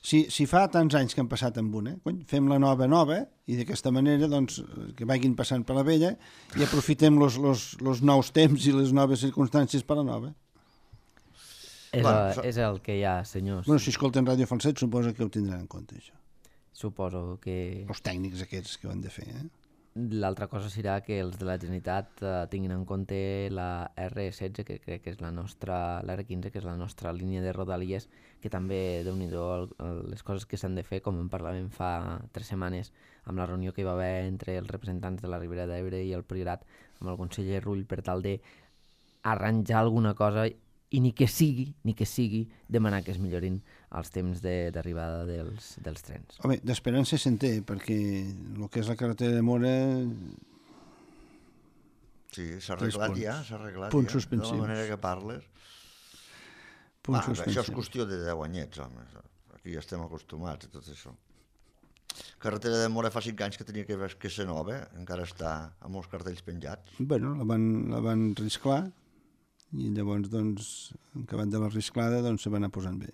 [SPEAKER 2] Si, si fa tants anys que han passat amb una, cony, fem la nova nova i d'aquesta manera doncs, que vagin passant per la vella i aprofitem els nous temps i les noves circumstàncies per la nova.
[SPEAKER 1] És, bueno, el, és el que hi ha, senyors.
[SPEAKER 2] Bueno, si escolten Ràdio Falset suposo que ho tindran en compte, això.
[SPEAKER 1] Suposo que...
[SPEAKER 2] Els tècnics aquests que ho han de fer, eh?
[SPEAKER 1] L'altra cosa serà que els de la Generalitat eh, tinguin en compte la erre setze, que crec que és la nostra, la erre quinze, que és la nostra línia de rodalies, que també, déu-n'hi-do, les coses que s'han de fer, com en parlàvem fa tres setmanes, amb la reunió que hi va haver entre els representants de la Ribera d'Ebre i el Priorat, amb el conseller Rull, per tal de arranjar alguna cosa i ni que sigui, ni que sigui, demanar que es millorin els temps d'arribada de, dels, dels trens.
[SPEAKER 2] Home, d'esperança se'n té, perquè el que és la carretera de Mora
[SPEAKER 3] Sí, s'ha arreglat ja, s'ha arreglat
[SPEAKER 2] punts
[SPEAKER 3] ja,
[SPEAKER 2] suspensius.
[SPEAKER 3] de la manera que parles.
[SPEAKER 2] Punts
[SPEAKER 3] Ah,
[SPEAKER 2] suspensius.
[SPEAKER 3] això és qüestió de deu anyets, home. Aquí ja estem acostumats a tot això. Carretera de Mora fa cinc anys que tenia que, que ser nova, encara està amb els cartells penjats.
[SPEAKER 2] Bueno, la van, la van risclar i llavors, doncs, acabat de la risclada, doncs se van anar posant bé.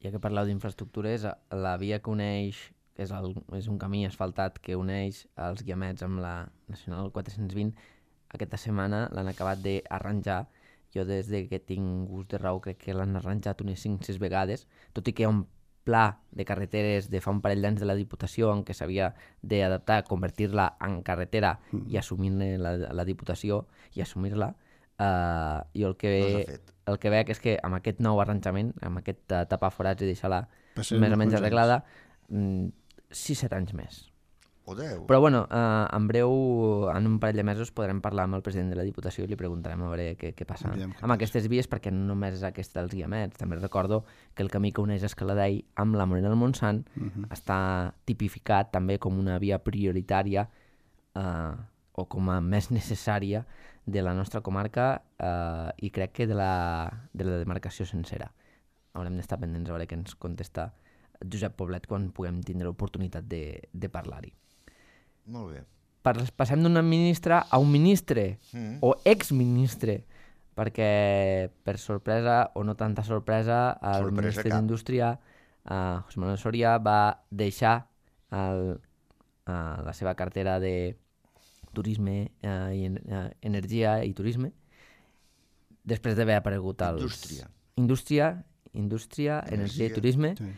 [SPEAKER 1] Ja que parleu d'infraestructures, la via que uneix, és, el, és un camí asfaltat que uneix els Guiamets amb la Nacional quatre-cents vint, aquesta setmana l'han acabat d'arranjar. Jo des de que tinc gust de raó crec que l'han arranjat unes cinc o sis vegades, tot i que hi ha un pla de carreteres de fa un parell d'anys de la Diputació en què s'havia d'adaptar, convertir-la en carretera mm. i assumir-ne la, la Diputació i assumir-la. Uh, jo el que, ve, el que veig és que amb aquest nou arranjament, amb aquest uh, tapar forats i deixar-la més o menys arreglada, sis o set anys més.
[SPEAKER 3] O deu.
[SPEAKER 1] Però bueno, uh, en breu, en un parell de mesos, podrem parlar amb el president de la Diputació i li preguntarem a veure què, què passa amb passa. aquestes vies, perquè no només és aquesta dels Guiamets. També recordo que el camí que uneix Escaladei amb la Morera del Montsant uh -huh. està tipificat també com una via prioritària uh, o com a més necessària de la nostra comarca uh, i crec que de la, de la demarcació sencera. Haurem d'estar pendents a veure què ens contesta Josep Poblet quan puguem tindre l'oportunitat de, de parlar-hi.
[SPEAKER 3] Molt bé.
[SPEAKER 1] Passem d'un ministre a un ministre mm. o exministre, perquè per sorpresa o no tanta sorpresa el sorpresa ministre d'Indústria, uh, José Manuel Soria, va deixar el, uh, la seva cartera de turisme, uh, i, uh, energia i turisme després d'haver aparegut als...
[SPEAKER 3] Indústria.
[SPEAKER 1] Indústria, indústria, energia, energia i turisme, sí.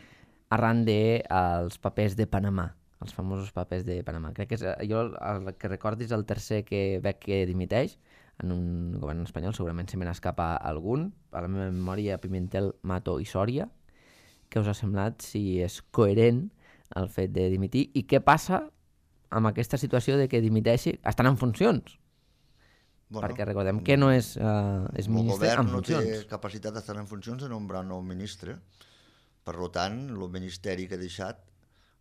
[SPEAKER 1] arran dels papers de Panamà, els famosos papers de Panamà. Crec que és, jo el que recordi és el tercer que veig que dimiteix en un govern espanyol, segurament se me n'escapa algun, a la meva memòria Pimentel, Mato i Sòria. Què us ha semblat, si és coherent el fet de dimitir i què passa amb aquesta situació de que dimiteixi estan en funcions? Bueno, perquè recordem que no és, uh, és ministre en funcions.
[SPEAKER 3] El govern no té capacitat d'estar en funcions de nombrar un nou ministre. Per tant, el ministeri que ha deixat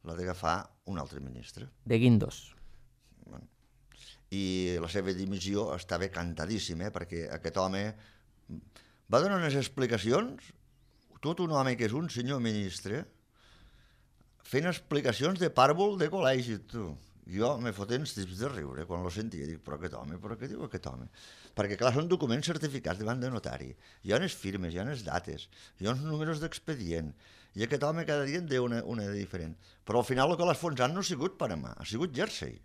[SPEAKER 3] l'ha d'agafar un altre ministre.
[SPEAKER 1] De Guindos.
[SPEAKER 3] Bueno. I la seva dimissió estava cantadíssima, eh? Perquè aquest home va donar unes explicacions, tot un home que és un senyor ministre, fent explicacions de pàrbol de col·legi, tu. Jo me foten els tips de riure quan lo sentia, dic, però aquest home, però què diu aquest home? Perquè clar, són documents certificats davant de notari, hi ha unes firmes, hi ha unes dates, hi ha uns números d'expedient, i aquest home cada dia en diu una, una de diferent. Però al final el que l'ha esfonsat no ha sigut Panamà, ha sigut Jersey.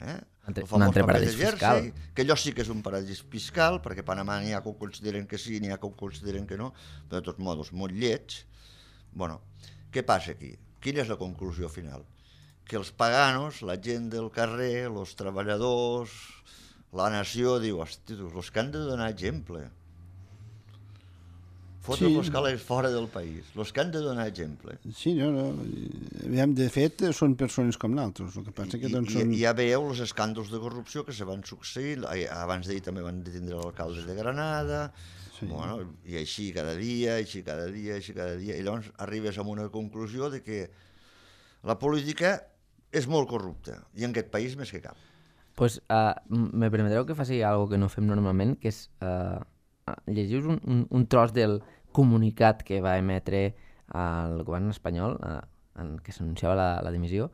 [SPEAKER 3] Eh?
[SPEAKER 1] El famós paper de Jersey,
[SPEAKER 3] que allò sí que és un paradís fiscal, perquè Panamà n'hi ha que ho consideren que sí, n'hi ha que ho consideren que no, però de tots modos, molt lleig. Bueno, què passa aquí? Quina és la conclusió final? Que els paganos, la gent del carrer, els treballadors, la nació, diu, hosti, els que han de donar exemple. Fotre sí. els calés fora del país, els que han de donar exemple.
[SPEAKER 2] Sí, no, no. Aviam, de fet, són persones com nosaltres. El que passa
[SPEAKER 3] I,
[SPEAKER 2] que doncs
[SPEAKER 3] i,
[SPEAKER 2] són...
[SPEAKER 3] I ja veieu els escàndols de corrupció que se van succeir. Abans d'ahir també van detindre l'alcalde de Granada, sí. Bueno, i així cada dia, així cada dia, així cada dia. I llavors arribes a una conclusió de que la política és molt corrupta, i en aquest país més que cap.
[SPEAKER 1] Pues, uh, me permetreu que faci alguna que no fem normalment, que és uh, llegiu un, un, un tros del comunicat que va emetre el govern espanyol, uh, en què s'anunciava la, la dimissió,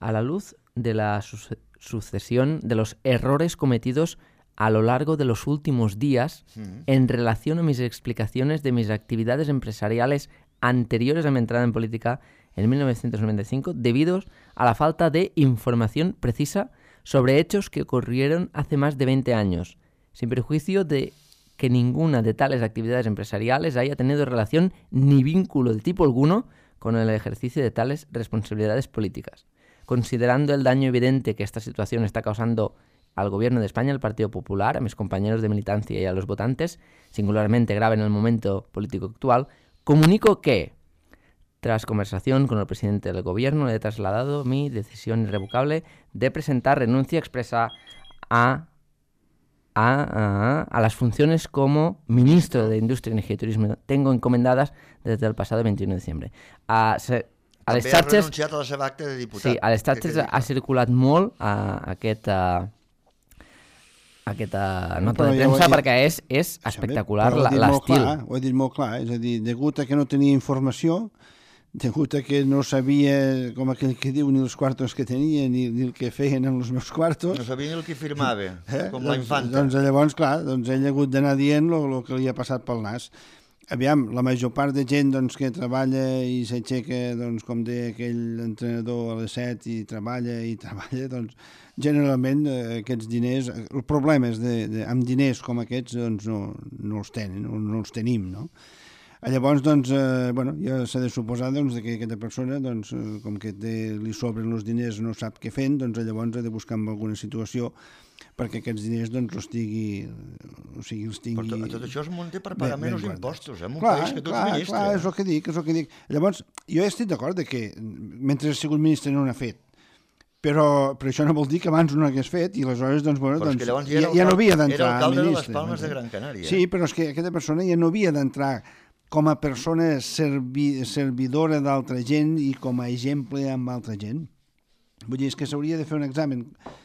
[SPEAKER 1] a la luz de la su sucesión de los errores cometidos a lo largo de los últimos días mm. en relación a mis explicaciones de mis actividades empresariales anteriores a mi entrada en política en mil novecientos noventa y cinco, debido a la falta de información precisa sobre hechos que ocurrieron hace más de veinte años, sin perjuicio de que ninguna de tales actividades empresariales haya tenido relación ni vínculo de tipo alguno con el ejercicio de tales responsabilidades políticas. Considerando el daño evidente que esta situación está causando al Gobierno de España, al Partido Popular, a mis compañeros de militancia y a los votantes, singularmente grave en el momento político actual, comunico que, tras conversación con el presidente del Gobierno, le he trasladado mi decisión irrevocable de presentar renuncia expresa a, a, a, a las funciones como ministro de Indústria, Energia y Turisme. Tengo encomendadas desde el pasado veintiuno de diciembre. A, se, a
[SPEAKER 3] També ha renunciat a la seva acta de diputat.
[SPEAKER 1] Sí, a les xarxes ha circulat molt a, a aquest... A, aquesta nota
[SPEAKER 2] Però
[SPEAKER 1] de
[SPEAKER 2] ja ho he
[SPEAKER 1] premsa
[SPEAKER 2] dit.
[SPEAKER 1] perquè és, és espectacular
[SPEAKER 2] Però ho he dit molt
[SPEAKER 1] l'estil.
[SPEAKER 2] clar, Ho he dit molt clar, és a dir, degut a que no tenia informació, degut a que no sabia, com aquell que diu, ni els quartos que tenia, ni, ni el que feien amb els meus quartos.
[SPEAKER 3] No sabia ni el que firmava,
[SPEAKER 2] Eh?
[SPEAKER 3] com la
[SPEAKER 2] doncs,
[SPEAKER 3] infanta.
[SPEAKER 2] doncs llavors, clar, doncs ell ha hagut d'anar dient el que li ha passat pel nas. Aviam, la major part de gent doncs, que treballa i s'aixeca, doncs, com deia aquell entrenador a les set i treballa i treballa, doncs generalment eh, aquests diners, el problema és de, de, amb diners com aquests doncs, no, no els tenen, no, no els tenim, no? Llavors, doncs, eh, bueno, ja s'ha de suposar doncs, que aquesta persona, doncs, eh, com que té, li sobren els diners, no sap què fent, doncs llavors ha de buscar en alguna situació perquè aquests diners doncs, els tingui, o sigui, els tingui...
[SPEAKER 3] Però tot, tot això es munta per pagar menys
[SPEAKER 2] guardats.
[SPEAKER 3] impostos, eh? En un
[SPEAKER 2] clar,
[SPEAKER 3] país que tu
[SPEAKER 2] clar,
[SPEAKER 3] ets ministre.
[SPEAKER 2] clar, és el que dic, és el que dic. Llavors, jo estic d'acord de que mentre ha sigut ministre no n'ha fet, però, però això no vol dir que abans no hagués fet i aleshores doncs, bueno,
[SPEAKER 3] Però és
[SPEAKER 2] doncs,
[SPEAKER 3] que llavors
[SPEAKER 2] ja,
[SPEAKER 3] ja,
[SPEAKER 2] ja no havia d'entrar
[SPEAKER 3] era alcalde de les
[SPEAKER 2] ministre.
[SPEAKER 3] Palmes de Gran Canària.
[SPEAKER 2] Sí, però és que aquesta persona ja no havia d'entrar com a persona servi, servidora d'altra gent i com a exemple amb altra gent. Vull dir, és que s'hauria de fer un examen.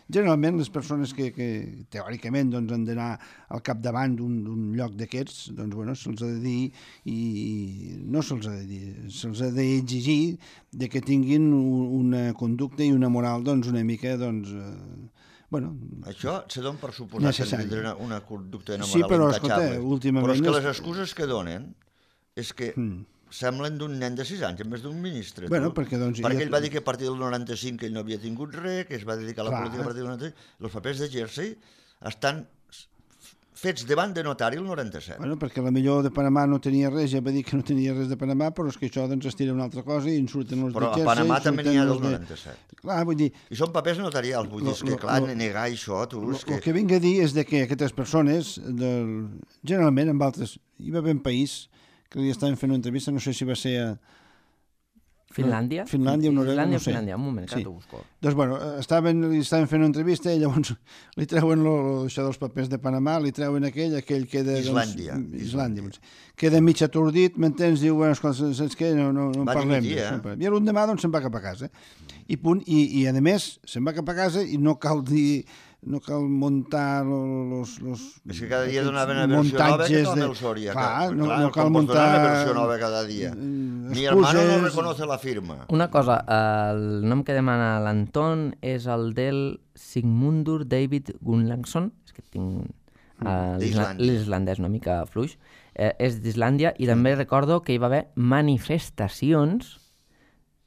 [SPEAKER 2] Generalment les persones que, que teòricament doncs, han d'anar al capdavant d'un lloc d'aquests, doncs bueno, se'ls ha de dir i, i no se'ls ha de dir, se'ls ha d'exigir de que tinguin una conducta i una moral doncs una mica doncs eh, bueno,
[SPEAKER 3] això se don per suposar
[SPEAKER 2] necessari.
[SPEAKER 3] que tindrà una, una conducta i una
[SPEAKER 2] Sí,
[SPEAKER 3] moral
[SPEAKER 2] però,
[SPEAKER 3] intachable.
[SPEAKER 2] escolta, últimament
[SPEAKER 3] Però és que
[SPEAKER 2] és-
[SPEAKER 3] les excuses que donen és que
[SPEAKER 2] Mm.
[SPEAKER 3] semblen d'un nen de sis anys en vez d'un ministre.
[SPEAKER 2] Bueno,
[SPEAKER 3] tu.
[SPEAKER 2] perquè, doncs,
[SPEAKER 3] perquè
[SPEAKER 2] ja-
[SPEAKER 3] ell va dir que a partir del noranta-cinc ell no havia tingut res, que es va dedicar a la
[SPEAKER 2] Clar.
[SPEAKER 3] política a partir del noranta-cinc. Els papers de Jersey estan fets davant de notari el noranta-set.
[SPEAKER 2] Bueno, perquè la millor de Panamà no tenia res, ja va dir que no tenia res de Panamà, però és que això doncs es tira una altra cosa i en surten els
[SPEAKER 3] Però
[SPEAKER 2] de
[SPEAKER 3] a
[SPEAKER 2] Jersey,
[SPEAKER 3] Panamà
[SPEAKER 2] en
[SPEAKER 3] també
[SPEAKER 2] surten
[SPEAKER 3] n'hi ha
[SPEAKER 2] els
[SPEAKER 3] del
[SPEAKER 2] de-
[SPEAKER 3] noranta-set.
[SPEAKER 2] Clar, vull dir,
[SPEAKER 3] I són papers notarials, vull dir, és
[SPEAKER 2] Lo-
[SPEAKER 3] que
[SPEAKER 2] lo-
[SPEAKER 3] clar,
[SPEAKER 2] lo-
[SPEAKER 3] negar això, tu,
[SPEAKER 2] el
[SPEAKER 3] és
[SPEAKER 2] que...
[SPEAKER 3] que...
[SPEAKER 2] que vinc a dir és de que aquestes persones, del, generalment en altres... Hi va haver un país que li estaven fent una entrevista, no sé si va ser a
[SPEAKER 1] Finlàndia?
[SPEAKER 2] Finlàndia o Noruega,
[SPEAKER 1] Finlàndia,
[SPEAKER 2] no sé.
[SPEAKER 1] Finlàndia, un moment, que
[SPEAKER 2] Sí.
[SPEAKER 1] t'ho busco.
[SPEAKER 2] Doncs, bueno, estaven, li estaven fent una entrevista i llavors li treuen lo, lo, això dels papers de Panamà, li treuen aquell, aquell queda...
[SPEAKER 3] Islàndia.
[SPEAKER 2] Doncs, Islàndia. Doncs, queda mig atordit, m'entens? Diu, bueno, escolta, saps què? No, no, no en
[SPEAKER 3] Va
[SPEAKER 2] parlem.
[SPEAKER 3] dimitir,
[SPEAKER 2] d'això,
[SPEAKER 3] eh?
[SPEAKER 2] no en parlem. I l'endemà, doncs, se'n va cap a casa. I punt. I, i a més, se'n va cap a casa i no cal dir... No cal muntar los... los
[SPEAKER 3] És que cada dia
[SPEAKER 2] aquests
[SPEAKER 3] donaven una versió nova que
[SPEAKER 2] muntatges
[SPEAKER 3] tom
[SPEAKER 2] de-
[SPEAKER 3] el Soria.
[SPEAKER 2] Clar,
[SPEAKER 3] que,
[SPEAKER 2] no,
[SPEAKER 3] clar,
[SPEAKER 2] no cal
[SPEAKER 3] com pots donar
[SPEAKER 2] muntar...
[SPEAKER 3] una versió nova cada dia.
[SPEAKER 2] eh,
[SPEAKER 3] Mi hermano no
[SPEAKER 2] excuses.
[SPEAKER 3] reconoce la firma.
[SPEAKER 1] Una cosa, el nom que demana l'Anton és el del Sigmundur David Gunnlaugsson, és que tinc uh,
[SPEAKER 3] D'Islàndia.
[SPEAKER 1] l'islandès una mica fluix, eh, és d'Islàndia i també recordo que hi va haver manifestacions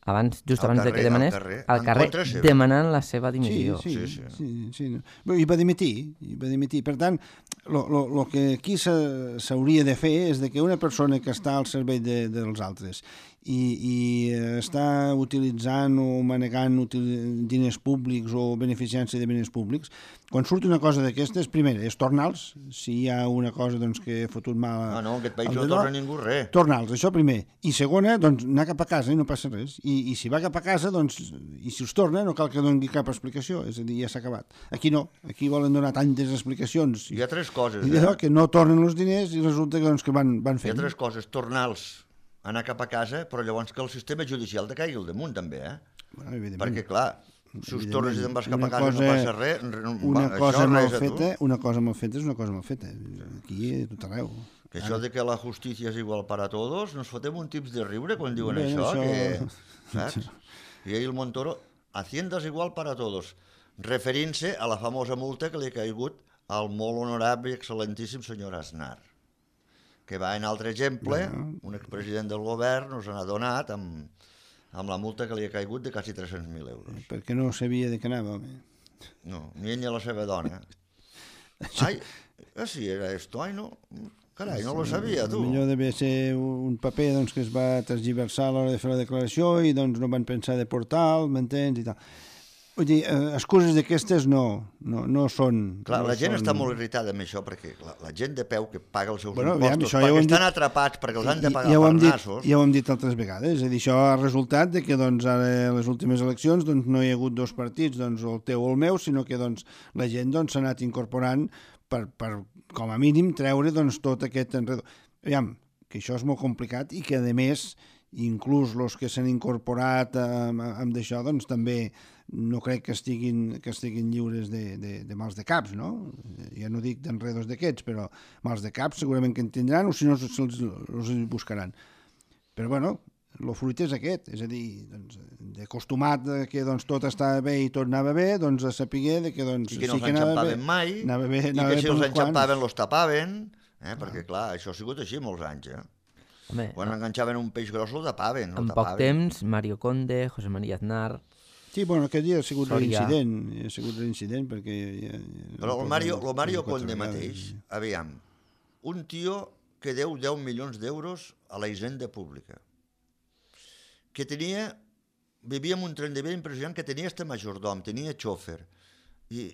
[SPEAKER 1] abans, just
[SPEAKER 3] Al
[SPEAKER 1] abans de
[SPEAKER 3] carrer,
[SPEAKER 1] que demanés,
[SPEAKER 3] al carrer,
[SPEAKER 1] al
[SPEAKER 3] en
[SPEAKER 1] carrer
[SPEAKER 3] contra seva.
[SPEAKER 1] demanant la seva
[SPEAKER 2] Sí,
[SPEAKER 1] dimissió.
[SPEAKER 2] sí,
[SPEAKER 3] Sí,
[SPEAKER 2] sí,
[SPEAKER 3] sí.
[SPEAKER 2] sí, sí, no. Bé, I va dimitir, i va dimitir. Per tant, el que aquí s'ha- s'hauria de fer és de que una persona que està al servei de, dels altres i, i està utilitzant o manegant util, diners públics o beneficiant-se de diners públics, quan surt una cosa d'aquestes, primer, és tornar-los, si hi ha una cosa doncs, que ha fotut mal...
[SPEAKER 3] Ah, no, en aquest país
[SPEAKER 2] al
[SPEAKER 3] no
[SPEAKER 2] dedò,
[SPEAKER 3] torna ningú res.
[SPEAKER 2] tornar-los, això primer. I segona, doncs, anar cap a casa i no passa res. I, i si va cap a casa, doncs, i si us torna, no cal que doni cap explicació, és a dir, ja s'ha acabat. Aquí no, aquí volen donar tantes explicacions.
[SPEAKER 3] Hi ha tres coses.
[SPEAKER 2] I
[SPEAKER 3] Eh?
[SPEAKER 2] allò que no tornen els diners i resulta que, doncs, que van, van
[SPEAKER 3] Hi ha
[SPEAKER 2] fent.
[SPEAKER 3] tres coses. Tornar-los, anar cap a casa, però llavors que el sistema judicial te caigui al damunt, també, eh?
[SPEAKER 2] Bueno, evidentment.
[SPEAKER 3] Perquè, clar, si us tornes i te'n vas cap
[SPEAKER 2] Una
[SPEAKER 3] a casa i
[SPEAKER 2] cosa-
[SPEAKER 3] no passa res, no,
[SPEAKER 2] Una
[SPEAKER 3] va,
[SPEAKER 2] cosa
[SPEAKER 3] això
[SPEAKER 2] mal
[SPEAKER 3] res a tu.
[SPEAKER 2] feta, una cosa mal feta és una cosa mal feta. Aquí, a tot arreu.
[SPEAKER 3] Que això de que la justícia és igual per a tots, nos fotem un tips de riure quan diuen
[SPEAKER 2] Bé,
[SPEAKER 3] això,
[SPEAKER 2] això-
[SPEAKER 3] que... Saps? I ahir el Montoro, Hacienda és igual per a tots, referint-se a la famosa multa que li ha caigut al molt honorable i excel·lentíssim senyor Aznar, que va en altre exemple, un expresident del govern nos n'ha donat amb, amb la multa que li ha caigut de quasi tres-cents mil euros.
[SPEAKER 2] Perquè no sabia de què anava, home.
[SPEAKER 3] No, ni ell ni la seva dona. Ai, així era esto, ai no, carai, no lo sabia, tu.
[SPEAKER 2] Millor devia ser un paper doncs, que es va transgiversar a l'hora de fer la declaració i doncs no van pensar de portal, m'entens, i tal. Vull dir, eh, excuses d'aquestes no, no, no són...
[SPEAKER 3] Clar,
[SPEAKER 2] no
[SPEAKER 3] la gent
[SPEAKER 2] són...
[SPEAKER 3] està molt irritada amb això perquè la, la gent de peu que paga els seus
[SPEAKER 2] Bueno, aviam,
[SPEAKER 3] impostos,
[SPEAKER 2] això ja ho
[SPEAKER 3] perquè
[SPEAKER 2] hem
[SPEAKER 3] estan
[SPEAKER 2] dit-
[SPEAKER 3] atrapats, perquè els han de
[SPEAKER 2] I-
[SPEAKER 3] pagar
[SPEAKER 2] ja ho
[SPEAKER 3] per
[SPEAKER 2] hem dit,
[SPEAKER 3] nassos.
[SPEAKER 2] ja ho hem dit altres vegades, és a dir, això ha resultat de que doncs, ara a les últimes eleccions doncs, no hi ha hagut dos partits, doncs, el teu o el meu, sinó que doncs, la gent doncs, s'ha anat incorporant per, per, com a mínim, treure doncs, tot aquest enredo. Aviam, que això és molt complicat i que, a més, inclús els que s'han incorporat amb, amb d'això, doncs també no crec que estiguin, que estiguin lliures de, de, de mals de caps, no? Ja no dic d'enredos d'aquests, però mals de caps segurament que en tindran, o si no se'ls els buscaran. Però bueno, el fruit és aquest, és a dir, doncs, d'acostumat que doncs, tot estava bé i tot anava bé, doncs a saber de que, doncs,
[SPEAKER 3] I que no
[SPEAKER 2] sí que anava bé,
[SPEAKER 3] mai,
[SPEAKER 2] anava bé,
[SPEAKER 3] i
[SPEAKER 2] anava
[SPEAKER 3] que si
[SPEAKER 2] bé
[SPEAKER 3] els
[SPEAKER 2] per uns quants.
[SPEAKER 3] enxampaven, los tapaven, eh? perquè clar, això ha sigut així molts anys, eh?
[SPEAKER 1] Home,
[SPEAKER 3] Quan enganxaven un peix gros, el tapaven. El
[SPEAKER 1] en
[SPEAKER 3] tapaven.
[SPEAKER 1] poc temps, Mario Conde, José María Aznar...
[SPEAKER 2] Sí, bueno, aquest dia ha sigut
[SPEAKER 1] Soria.
[SPEAKER 2] l'incident, ha sigut l'incident perquè... Ja, ja,
[SPEAKER 3] Però el Mario, el Mario
[SPEAKER 2] quatre
[SPEAKER 3] Conde
[SPEAKER 2] vegades.
[SPEAKER 3] mateix, aviam, un tio que deu deu milions d'euros a la hisenda pública, que tenia, vivia amb un tren de vida impressionant, que tenia este majordom, tenia xòfer, i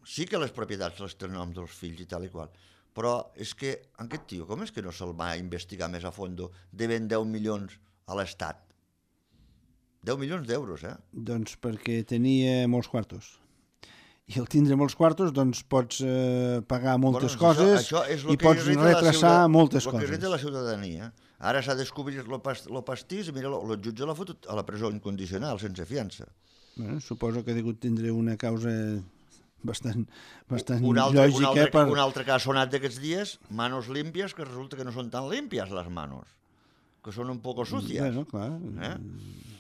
[SPEAKER 3] sí que les propietats les té el nom dels fills i tal i qual, però és que aquest tio, com és que no se'l va investigar més a fondo, devent deu milions a l'Estat? deu milions d'euros, eh?
[SPEAKER 2] Doncs perquè tenia molts quartos. I al tindre molts quartos, doncs pots eh, pagar moltes
[SPEAKER 3] Bueno,
[SPEAKER 2] coses
[SPEAKER 3] això, això és lo
[SPEAKER 2] i
[SPEAKER 3] que
[SPEAKER 2] pots
[SPEAKER 3] irrita la
[SPEAKER 2] retrasar
[SPEAKER 3] ciutat-
[SPEAKER 2] moltes
[SPEAKER 3] lo que
[SPEAKER 2] coses.
[SPEAKER 3] irrita la ciutadania. Ara s'ha descobrit el pas, pastís i mira, el jutge l'ha fotut a la presó incondicional, sense fiança.
[SPEAKER 2] Bueno, suposo que ha degut tindre una causa bastant, bastant
[SPEAKER 3] un altre,
[SPEAKER 2] lògica
[SPEAKER 3] un altre,
[SPEAKER 2] per...
[SPEAKER 3] un altre que ha sonat d'aquests dies, manos limpias, que resulta que no són tan limpias les manos, que són un poco sucias.
[SPEAKER 2] Bueno, clar.
[SPEAKER 3] Eh?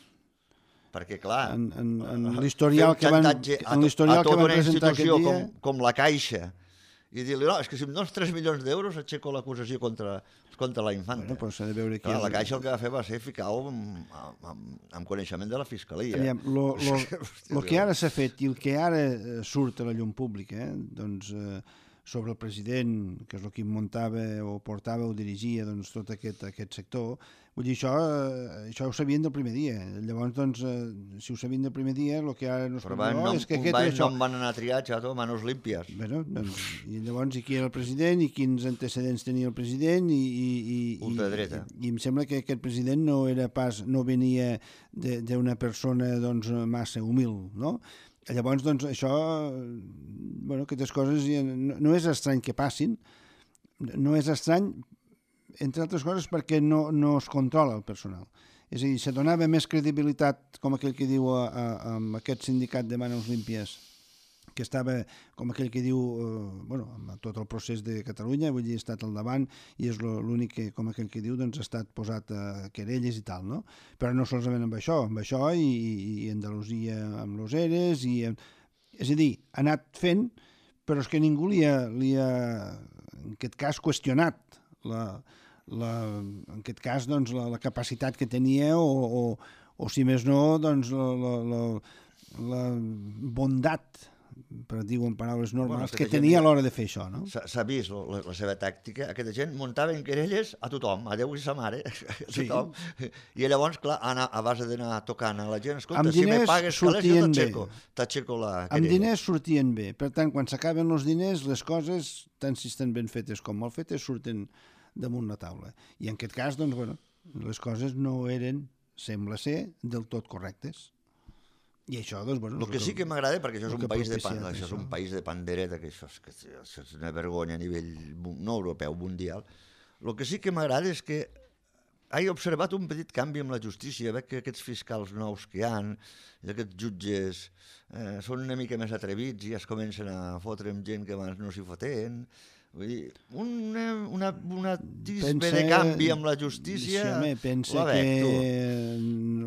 [SPEAKER 3] Perquè, clar,
[SPEAKER 2] En, en, en l'historial
[SPEAKER 3] fer
[SPEAKER 2] que
[SPEAKER 3] un
[SPEAKER 2] van,
[SPEAKER 3] xantatge a,
[SPEAKER 2] en
[SPEAKER 3] to-
[SPEAKER 2] l'historial
[SPEAKER 3] a
[SPEAKER 2] que
[SPEAKER 3] tota
[SPEAKER 2] van
[SPEAKER 3] una
[SPEAKER 2] presentar
[SPEAKER 3] institució
[SPEAKER 2] aquest dia...
[SPEAKER 3] com, com la Caixa i dir-li, no, és que si em dones tres milions d'euros aixeco l'acusació contra, contra la infanta.
[SPEAKER 2] Bueno, però s'ha de veure qui
[SPEAKER 3] Clar,
[SPEAKER 2] és-
[SPEAKER 3] la Caixa el que va fer va ser ficar-ho amb, amb, amb, amb coneixement de la Fiscalia.
[SPEAKER 2] Aviam, lo, lo,
[SPEAKER 3] Hòstia,
[SPEAKER 2] lo que ara s'ha fet i el que ara eh, surt a la llum pública, eh, doncs, eh, sobre el president, que és el que muntava o portava o dirigia doncs, tot aquest, aquest sector, vull dir, això, eh, això ho sabien del primer dia. Llavors, doncs, eh, si ho sabien del primer dia, el que ara no es
[SPEAKER 3] Però
[SPEAKER 2] pot
[SPEAKER 3] va,
[SPEAKER 2] dir,
[SPEAKER 3] no,
[SPEAKER 2] oh, és que
[SPEAKER 3] un
[SPEAKER 2] aquest
[SPEAKER 3] va,
[SPEAKER 2] és això.
[SPEAKER 3] no em van anar a triar, xato, manos limpias.
[SPEAKER 2] Bueno, doncs, i llavors, i qui era el president i quins antecedents tenia el president i, i, i, i,
[SPEAKER 3] Ultradreta.
[SPEAKER 2] i, i em sembla que aquest president no era pas, no venia d'una persona doncs, massa humil, no? Llavors, doncs, això, bueno, aquestes coses ja no, no és estrany que passin, no és estrany, entre altres coses, perquè no, no es controla el personal. És a dir, se donava més credibilitat, com aquell que diu, a, a, amb aquest sindicat de Manos Límpies, que estava, com aquell que diu, eh, bueno, amb tot el procés de Catalunya, vull dir, ha estat al davant, i és lo- l'únic que, com aquell que diu, doncs ha estat posat a querelles i tal, no? Però no solament amb això, amb això i, i Andalusia amb los eres, i, és a dir, ha anat fent, però és que ningú li ha, li ha en aquest cas, qüestionat la, la, en aquest cas, doncs, la, la capacitat que tenia o, o, o si més no, doncs, la, la, la, la bondat, per dir-ho en paraules normals,
[SPEAKER 3] Bueno,
[SPEAKER 2] que
[SPEAKER 3] aquesta
[SPEAKER 2] tenia
[SPEAKER 3] gent-
[SPEAKER 2] a l'hora de fer això, no?
[SPEAKER 3] S'ha s'ha vist la, la seva tàctica. Aquesta gent muntava en querelles a tothom, a Déu i sa mare, a
[SPEAKER 2] Sí.
[SPEAKER 3] tothom. I llavors, clar, anar, a base d'anar tocant a la gent, escolta,
[SPEAKER 2] Amb
[SPEAKER 3] si me
[SPEAKER 2] diners
[SPEAKER 3] pagues calés, jo
[SPEAKER 2] sortien bé.
[SPEAKER 3] t'aixeco, t'aixeco la
[SPEAKER 2] Amb
[SPEAKER 3] querella.
[SPEAKER 2] diners sortien bé. Per tant, quan s'acaben els diners, les coses, tant si estan ben fetes com mal fetes, surten damunt la taula. I en aquest cas, doncs, bueno, les coses no eren, sembla ser, del tot correctes. I això, doncs, bueno...
[SPEAKER 3] El que sí que m'agrada, perquè això és
[SPEAKER 2] el
[SPEAKER 3] un
[SPEAKER 2] que ha
[SPEAKER 3] país de
[SPEAKER 2] propiciat
[SPEAKER 3] pan, això és
[SPEAKER 2] això.
[SPEAKER 3] un país de pandereta, que això és, que això és una vergonya a nivell mu- no europeu, mundial. El que sí que m'agrada és que he observat un petit canvi amb la justícia. Veig que aquests fiscals nous que hi ha, aquests jutges, eh, són una mica més atrevits i ja es comencen a fotre amb gent que abans no s'hi foten. Vull dir, una, una, una tisbe de canvi amb la justícia,
[SPEAKER 2] Sí, home, pensa
[SPEAKER 3] la veig, tu.
[SPEAKER 2] que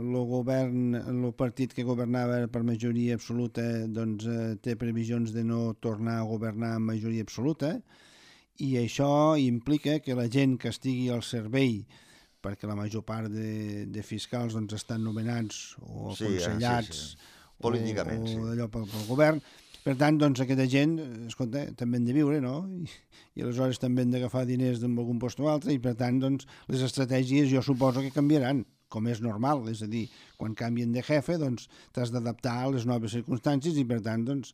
[SPEAKER 2] el govern, el partit que governava per majoria absoluta, doncs eh, té previsions de no tornar a governar amb majoria absoluta, i això implica que la gent que estigui al servei, perquè la major part de, de fiscals doncs, estan nomenats o
[SPEAKER 3] Sí, eh,
[SPEAKER 2] aconsellats
[SPEAKER 3] sí, sí. Políticament,
[SPEAKER 2] o,
[SPEAKER 3] sí.
[SPEAKER 2] o d'allò pel, pel govern. Per tant, doncs, aquesta gent, escolta, també han de viure, no? I, i aleshores també han d'agafar diners d'algun algun lloc o altre, i per tant, doncs, les estratègies jo suposo que canviaran, com és normal, és a dir, quan canvien de jefe, doncs, t'has d'adaptar a les noves circumstàncies i, per tant, doncs,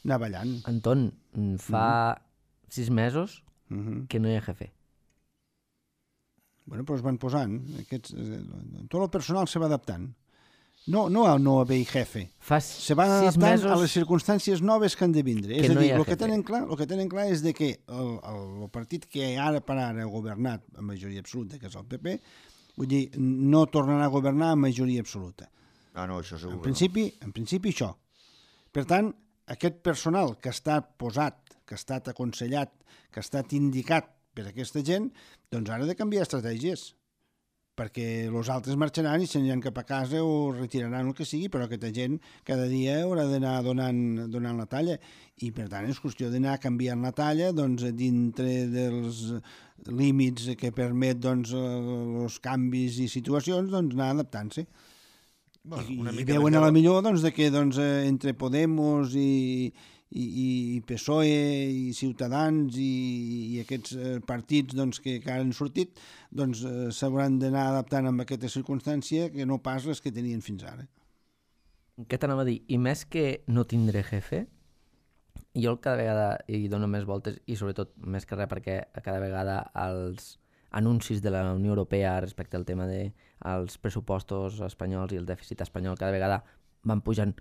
[SPEAKER 2] anar ballant.
[SPEAKER 1] Anton, mm, fa sis mesos
[SPEAKER 2] Uh -huh.
[SPEAKER 1] que no hi ha jefe.
[SPEAKER 2] Bueno, però es van posant. Aquests, eh, tot el personal se va adaptant. No, no a no haver jefe.
[SPEAKER 1] Fa
[SPEAKER 2] Se van
[SPEAKER 1] sis
[SPEAKER 2] adaptant
[SPEAKER 1] mesos...
[SPEAKER 2] a les circumstàncies noves que han de vindre.
[SPEAKER 1] Que
[SPEAKER 2] És a
[SPEAKER 1] no
[SPEAKER 2] dir,
[SPEAKER 1] hi ha
[SPEAKER 2] el que
[SPEAKER 1] jefe.
[SPEAKER 2] tenen clar, el que tenen clar és de que el, el, el partit que ara per ara ha governat amb majoria absoluta, que és el P P, Vull dir, no tornarà a governar amb majoria absoluta.
[SPEAKER 3] Ah, no, això segur.
[SPEAKER 2] En principi, en principi això. Per tant, aquest personal que ha estat posat, que ha estat aconsellat, que ha estat indicat per aquesta gent, doncs ara ha de canviar estratègies, perquè els altres marxaran i s'aniran cap a casa o retiraran el que sigui, però aquesta gent cada dia haurà d'anar donant, donant la talla, i per tant és qüestió d'anar canviant la talla doncs, dintre dels límits que permet doncs, els canvis i situacions, doncs, anar adaptant-se. Bueno, I, i veuen a la millor doncs, de que doncs, entre Podemos i, i, i P S O E i Ciutadans i, i aquests partits doncs, que, que han sortit doncs, s'hauran d'anar adaptant amb aquesta circumstància que no pas les que tenien fins ara.
[SPEAKER 1] Què t'anava a dir? I més que no tindré jefe, jo cada vegada hi dono més voltes i sobretot més que res perquè cada vegada els anuncis de la Unió Europea respecte al tema dels pressupostos espanyols i el dèficit espanyol cada vegada van pujant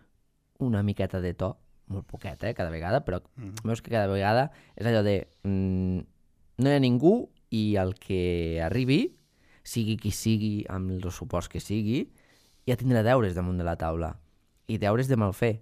[SPEAKER 1] una miqueta de to, molt poquet, eh, cada vegada, però mm. veus que cada vegada és allò de mm, no hi ha ningú i el que arribi, sigui qui sigui, amb els suports que sigui, ja tindrà deures damunt de la taula i deures de mal fer.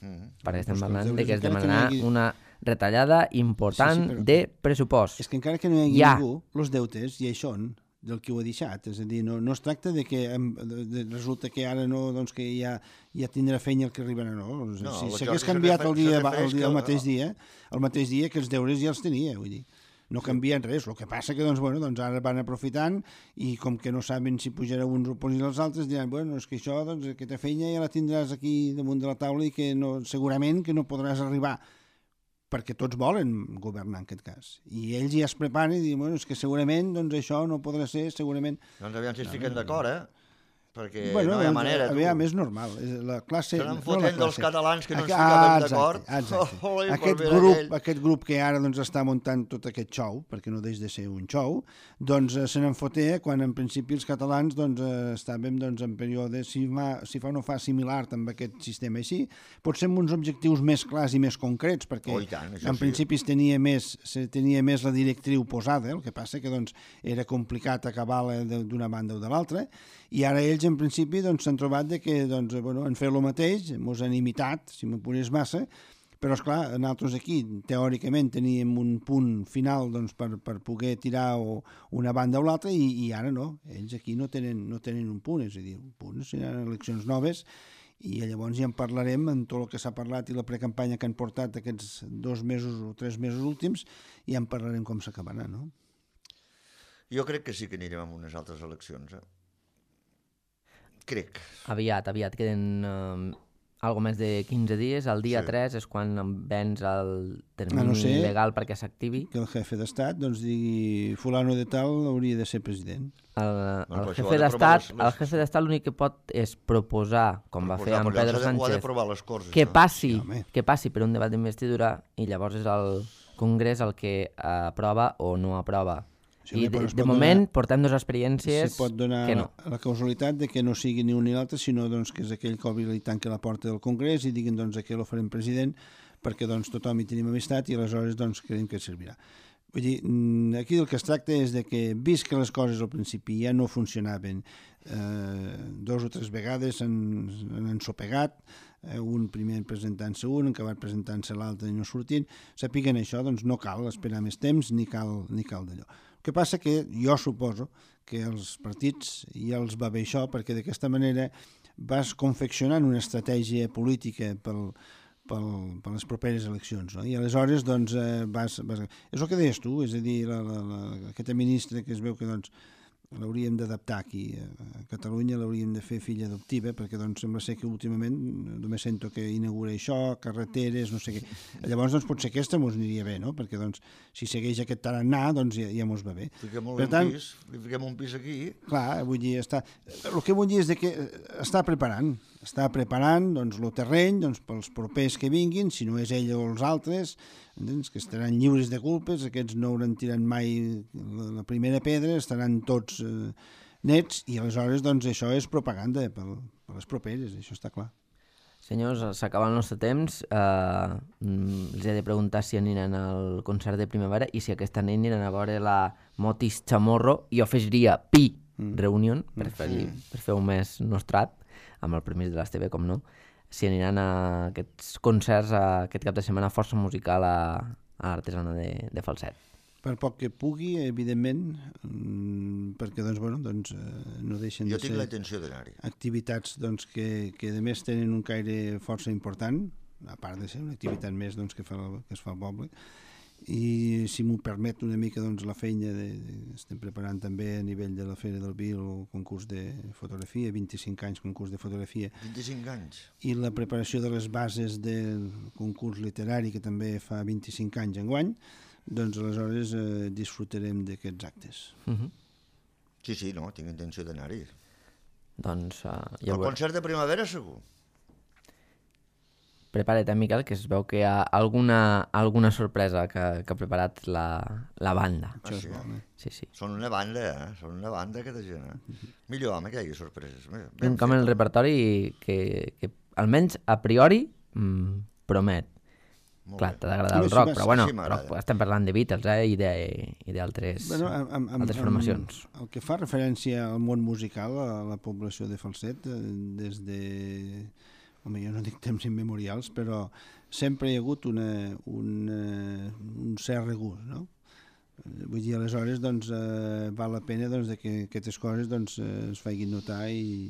[SPEAKER 1] Mm. Perquè estem parlant de que es demanarà hagi... una retallada important sí, sí, de pressupost.
[SPEAKER 2] És que encara que no hi hagi ja. ningú, els deutes ja hi són del que ho ha deixat. És a dir, no, no es tracta de que de, de, resulta que ara no, doncs que ja, ja tindrà feina el que arribarà, no. no si s'hagués canviat el, dia, el, dia, el mateix dia, el mateix dia que els deures ja els tenia, vull dir. No canvien res, el que passa que doncs, bueno, doncs ara van aprofitant i com que no saben si pujarà uns o pujarà els altres, diran, bueno, és que això, doncs, aquesta feina ja la tindràs aquí damunt de la taula i que no, segurament que no podràs arribar, perquè tots volen governar en aquest cas. I ells ja es preparen i diuen, bueno, és que segurament doncs, això no podrà ser, segurament...
[SPEAKER 3] Doncs aviam si es fiquen no, d'acord, eh? Perquè
[SPEAKER 2] bueno,
[SPEAKER 3] no hi ha manera, tu.
[SPEAKER 2] Aviam, és normal. La classe,
[SPEAKER 3] se n'han fotent
[SPEAKER 2] no
[SPEAKER 3] dels catalans que no ens
[SPEAKER 2] ah,
[SPEAKER 3] ficaven d'acord.
[SPEAKER 2] Oh, oh, aquest, grup, aquest grup que ara doncs, està muntant tot aquest xou, perquè no deix de ser un xou, doncs se n'en foté quan en principi els catalans doncs, estàvem doncs, en període, si, ma, si fa o no fa similar amb aquest sistema així, potser amb uns objectius més clars i més concrets, perquè
[SPEAKER 3] oh, tant,
[SPEAKER 2] en
[SPEAKER 3] sí.
[SPEAKER 2] principi es tenia, més, se tenia més la directriu posada, el que passa que doncs, era complicat acabar-la d'una banda o de l'altra, i ara ells en principi doncs, s'han trobat de que doncs, bueno, han fet el mateix, ens han imitat, si m'apures massa, però esclar, nosaltres aquí teòricament teníem un punt final doncs, per, per poder tirar o una banda o l'altra i, i ara no, ells aquí no tenen, no tenen un punt, és a dir, un punt, seran eleccions noves i llavors ja en parlarem en tot el que s'ha parlat i la precampanya que han portat aquests dos mesos o tres mesos últims i ja en parlarem com s'acabarà, no?
[SPEAKER 3] Jo crec que sí que anirem amb unes altres eleccions, eh? Crec.
[SPEAKER 1] Aviat, aviat, queden uh, algo més de quinze dies, el dia sí. tres és quan vens el termini no sé, legal perquè s'activi.
[SPEAKER 2] Que el jefe d'estat doncs digui fulano de tal hauria de ser president.
[SPEAKER 1] El, el, el jefe d'estat les... el jefe d'estat l'únic que pot és proposar, com proposar, va fer amb Pedro Sánchez,
[SPEAKER 3] les corts,
[SPEAKER 1] que, passi, sí, que passi per un debat d'investidura i llavors és el Congrés el que aprova o no aprova. Sí, I de, de moment donar, portem dues experiències
[SPEAKER 2] se pot donar
[SPEAKER 1] que no.
[SPEAKER 2] La causalitat de que no sigui ni un ni l'altre, sinó doncs, que és aquell que obri i tanqui la porta del Congrés i diguin doncs, que el farem president perquè doncs, tothom hi tenim amistat i aleshores doncs, creiem que servirà. Vull dir, aquí el que es tracta és de que, vist que les coses al principi ja no funcionaven, eh, dos o tres vegades han, han ensopegat, eh, un primer presentant-se un, acabat presentant-se l'altre i no sortint, sàpiguen això, doncs no cal esperar més temps ni cal, ni cal d'allò. El que passa que jo suposo que els partits ja els va bé això, perquè d'aquesta manera vas confeccionant una estratègia política pel Per, per les properes eleccions, no? I aleshores doncs, eh, vas, vas... És el que deies tu, és a dir, la, la, la, aquesta ministra que es veu que doncs, l'hauríem d'adaptar aquí a Catalunya, l'hauríem de fer filla adoptiva, perquè doncs, sembla ser que últimament només sento que inaugura això, carreteres, no sé què. Llavors doncs, potser aquesta mos aniria bé, no? Perquè doncs, si segueix aquest tarannà, doncs ja, ja mos va bé.
[SPEAKER 3] Fiquem un tant, pis, li fiquem un pis aquí. Clar,
[SPEAKER 2] vull dir, està... el que vull dir és que està preparant, està preparant doncs, el terreny doncs, pels propers que vinguin, si no és ell o els altres, entens? Que estaran lliures de culpes, aquests no hauran tirat mai la primera pedra, estaran tots eh, nets i aleshores doncs, això és propaganda per, per les properes, això està clar.
[SPEAKER 1] Senyors, s'acaba el nostre temps, eh, els he de preguntar si aniran al concert de primavera i si aquesta nit aniran a veure la Motis Chamorro i jo afegiria Pi. mm. Reunion, per, fer, mm. per fer un mes nostrat, amb el permís de l'Esteve, com no, si aniran a aquests concerts a aquest cap de setmana força musical a, a l'artesana de, de Falset.
[SPEAKER 2] Per poc que pugui, evidentment, perquè doncs, bueno, doncs, no deixen
[SPEAKER 3] jo
[SPEAKER 2] de ser...
[SPEAKER 3] Jo tinc la intenció d'anar-hi.
[SPEAKER 2] Activitats doncs, que, que a més tenen un caire força important, a part de ser una activitat més doncs, que, fa, que es fa al poble, i si m'ho permet una mica doncs, la feina de, de, estem preparant també a nivell de la Fera del Vi el concurs de fotografia, vint-i-cinc anys concurs de fotografia,
[SPEAKER 3] vint-i-cinc anys,
[SPEAKER 2] i la preparació de les bases del concurs literari que també fa vint-i-cinc anys enguany, doncs aleshores eh, disfrutarem d'aquests actes.
[SPEAKER 1] Uh-huh.
[SPEAKER 3] Sí, sí, no, tinc intenció d'anar-hi.
[SPEAKER 1] Doncs uh, ja
[SPEAKER 3] el concert de primavera segur.
[SPEAKER 1] Prepara't, eh, Miquel, que es veu que hi ha alguna, alguna sorpresa que, que ha preparat la, la banda.
[SPEAKER 3] Ah, sí, eh?
[SPEAKER 1] sí, sí.
[SPEAKER 3] Són una banda, eh? Són una banda, aquesta gent, eh? Uh-huh. Millor, home, que hi hagi sorpreses.
[SPEAKER 1] Ben un camp en el repertori que, que almenys a priori mm, promet. Molt Clar, t'ha d'agradar el rock, però bueno, sí, però estem parlant de Beatles, eh, i d'altres bueno, altres formacions.
[SPEAKER 2] Amb, el que fa referència al món musical, a la població de Falset, des de... Home, jo no dic temps immemorials, però sempre hi ha hagut una, una, un cert regust, no? Vull dir, aleshores, doncs, eh, val la pena doncs, de que aquestes coses doncs, es facin notar i,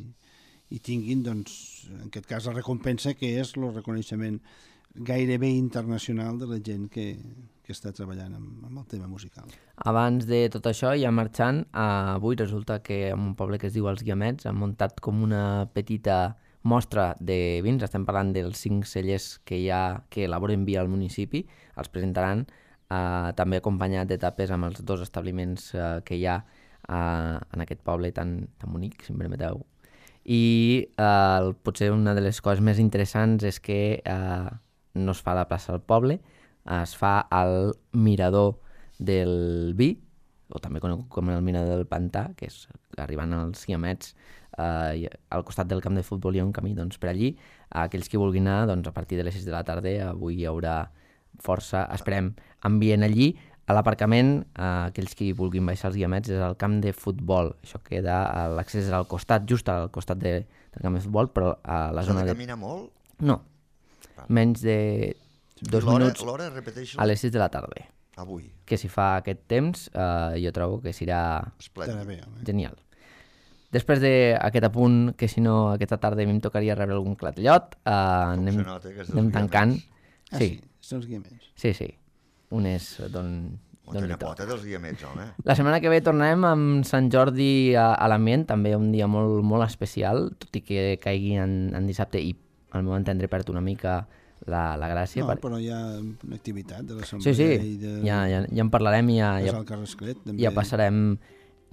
[SPEAKER 2] i tinguin, doncs, en aquest cas, la recompensa que és el reconeixement gairebé internacional de la gent que, que està treballant amb, amb el tema musical.
[SPEAKER 1] Abans de tot això, ja marxant, avui resulta que en un poble que es diu Els Guiamets han muntat com una petita mostra de vins. Estem parlant dels cinc cellers que hi ha, que elaboren vi al municipi. Els presentaran eh, també acompanyat de tapes amb els dos establiments eh, que hi ha eh, en aquest poble tan, tan bonic, si em permeteu. I eh, potser una de les coses més interessants és que eh, no es fa a la plaça del poble, es fa al mirador del vi, o també conegut com el mirador del Pantà, que és arribant als Guiamets, eh, al costat del camp de futbol hi ha un camí, doncs per allí, aquells que vulguin anar, doncs a partir de les sis de la tarda, avui hi haurà força, esperem, ambient allí. A l'aparcament, eh, aquells que vulguin baixar als Guiamets, és al camp de futbol, això queda, l'accés és al costat, just al costat de, del camp de futbol, però a la zona de...
[SPEAKER 3] S'ha de caminar molt?
[SPEAKER 1] No, menys de dos minuts
[SPEAKER 3] l'hora, repeteixo,
[SPEAKER 1] a les sis de la tarda.
[SPEAKER 3] Avui.
[SPEAKER 1] Que si fa aquest temps, eh, jo trobo que serà
[SPEAKER 3] Esplèndid.
[SPEAKER 1] Genial. Després d'aquest apunt, que si no aquesta tarda a mi em tocaria rebre algun clatellot, eh, anem,
[SPEAKER 3] nota,
[SPEAKER 1] anem tancant.
[SPEAKER 2] Ah, sí, sí, són els Guiamets.
[SPEAKER 1] Sí, sí. Un és d'on...
[SPEAKER 3] Una pota dels Guiamets, home.
[SPEAKER 1] La setmana que ve tornem amb Sant Jordi a, a l'ambient, també un dia molt, molt especial, tot i que caigui en, en dissabte i al meu entendre perd una mica la, la gràcia.
[SPEAKER 2] No,
[SPEAKER 1] per...
[SPEAKER 2] però hi ha una activitat de l'assemblea.
[SPEAKER 1] Sí, sí,
[SPEAKER 2] i de...
[SPEAKER 1] ja, ja, ja en parlarem i ja, ja, ja passarem,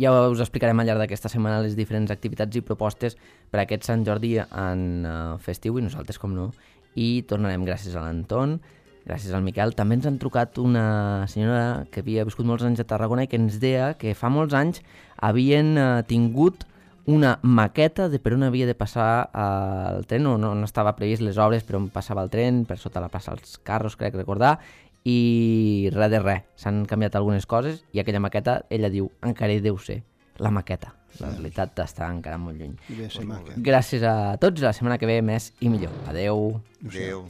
[SPEAKER 1] ja us explicarem al llarg d'aquesta setmana les diferents activitats i propostes per a aquest Sant Jordi en uh, festiu, i nosaltres com no, i tornarem gràcies a l'Anton, gràcies al Miquel. També ens han trucat una senyora que havia viscut molts anys a Tarragona i que ens deia que fa molts anys havien uh, tingut una maqueta de per on havia de passar uh, el tren, no, no estava previst les obres per on passava el tren, per sota la plaça dels carros, crec recordar, i res de res. S'han canviat algunes coses i aquella maqueta, ella diu, encara hi deu ser la maqueta. La realitat està encara molt lluny.
[SPEAKER 2] Gràcies
[SPEAKER 1] a tots, la setmana que ve més i millor. Adeu.
[SPEAKER 3] Adeu.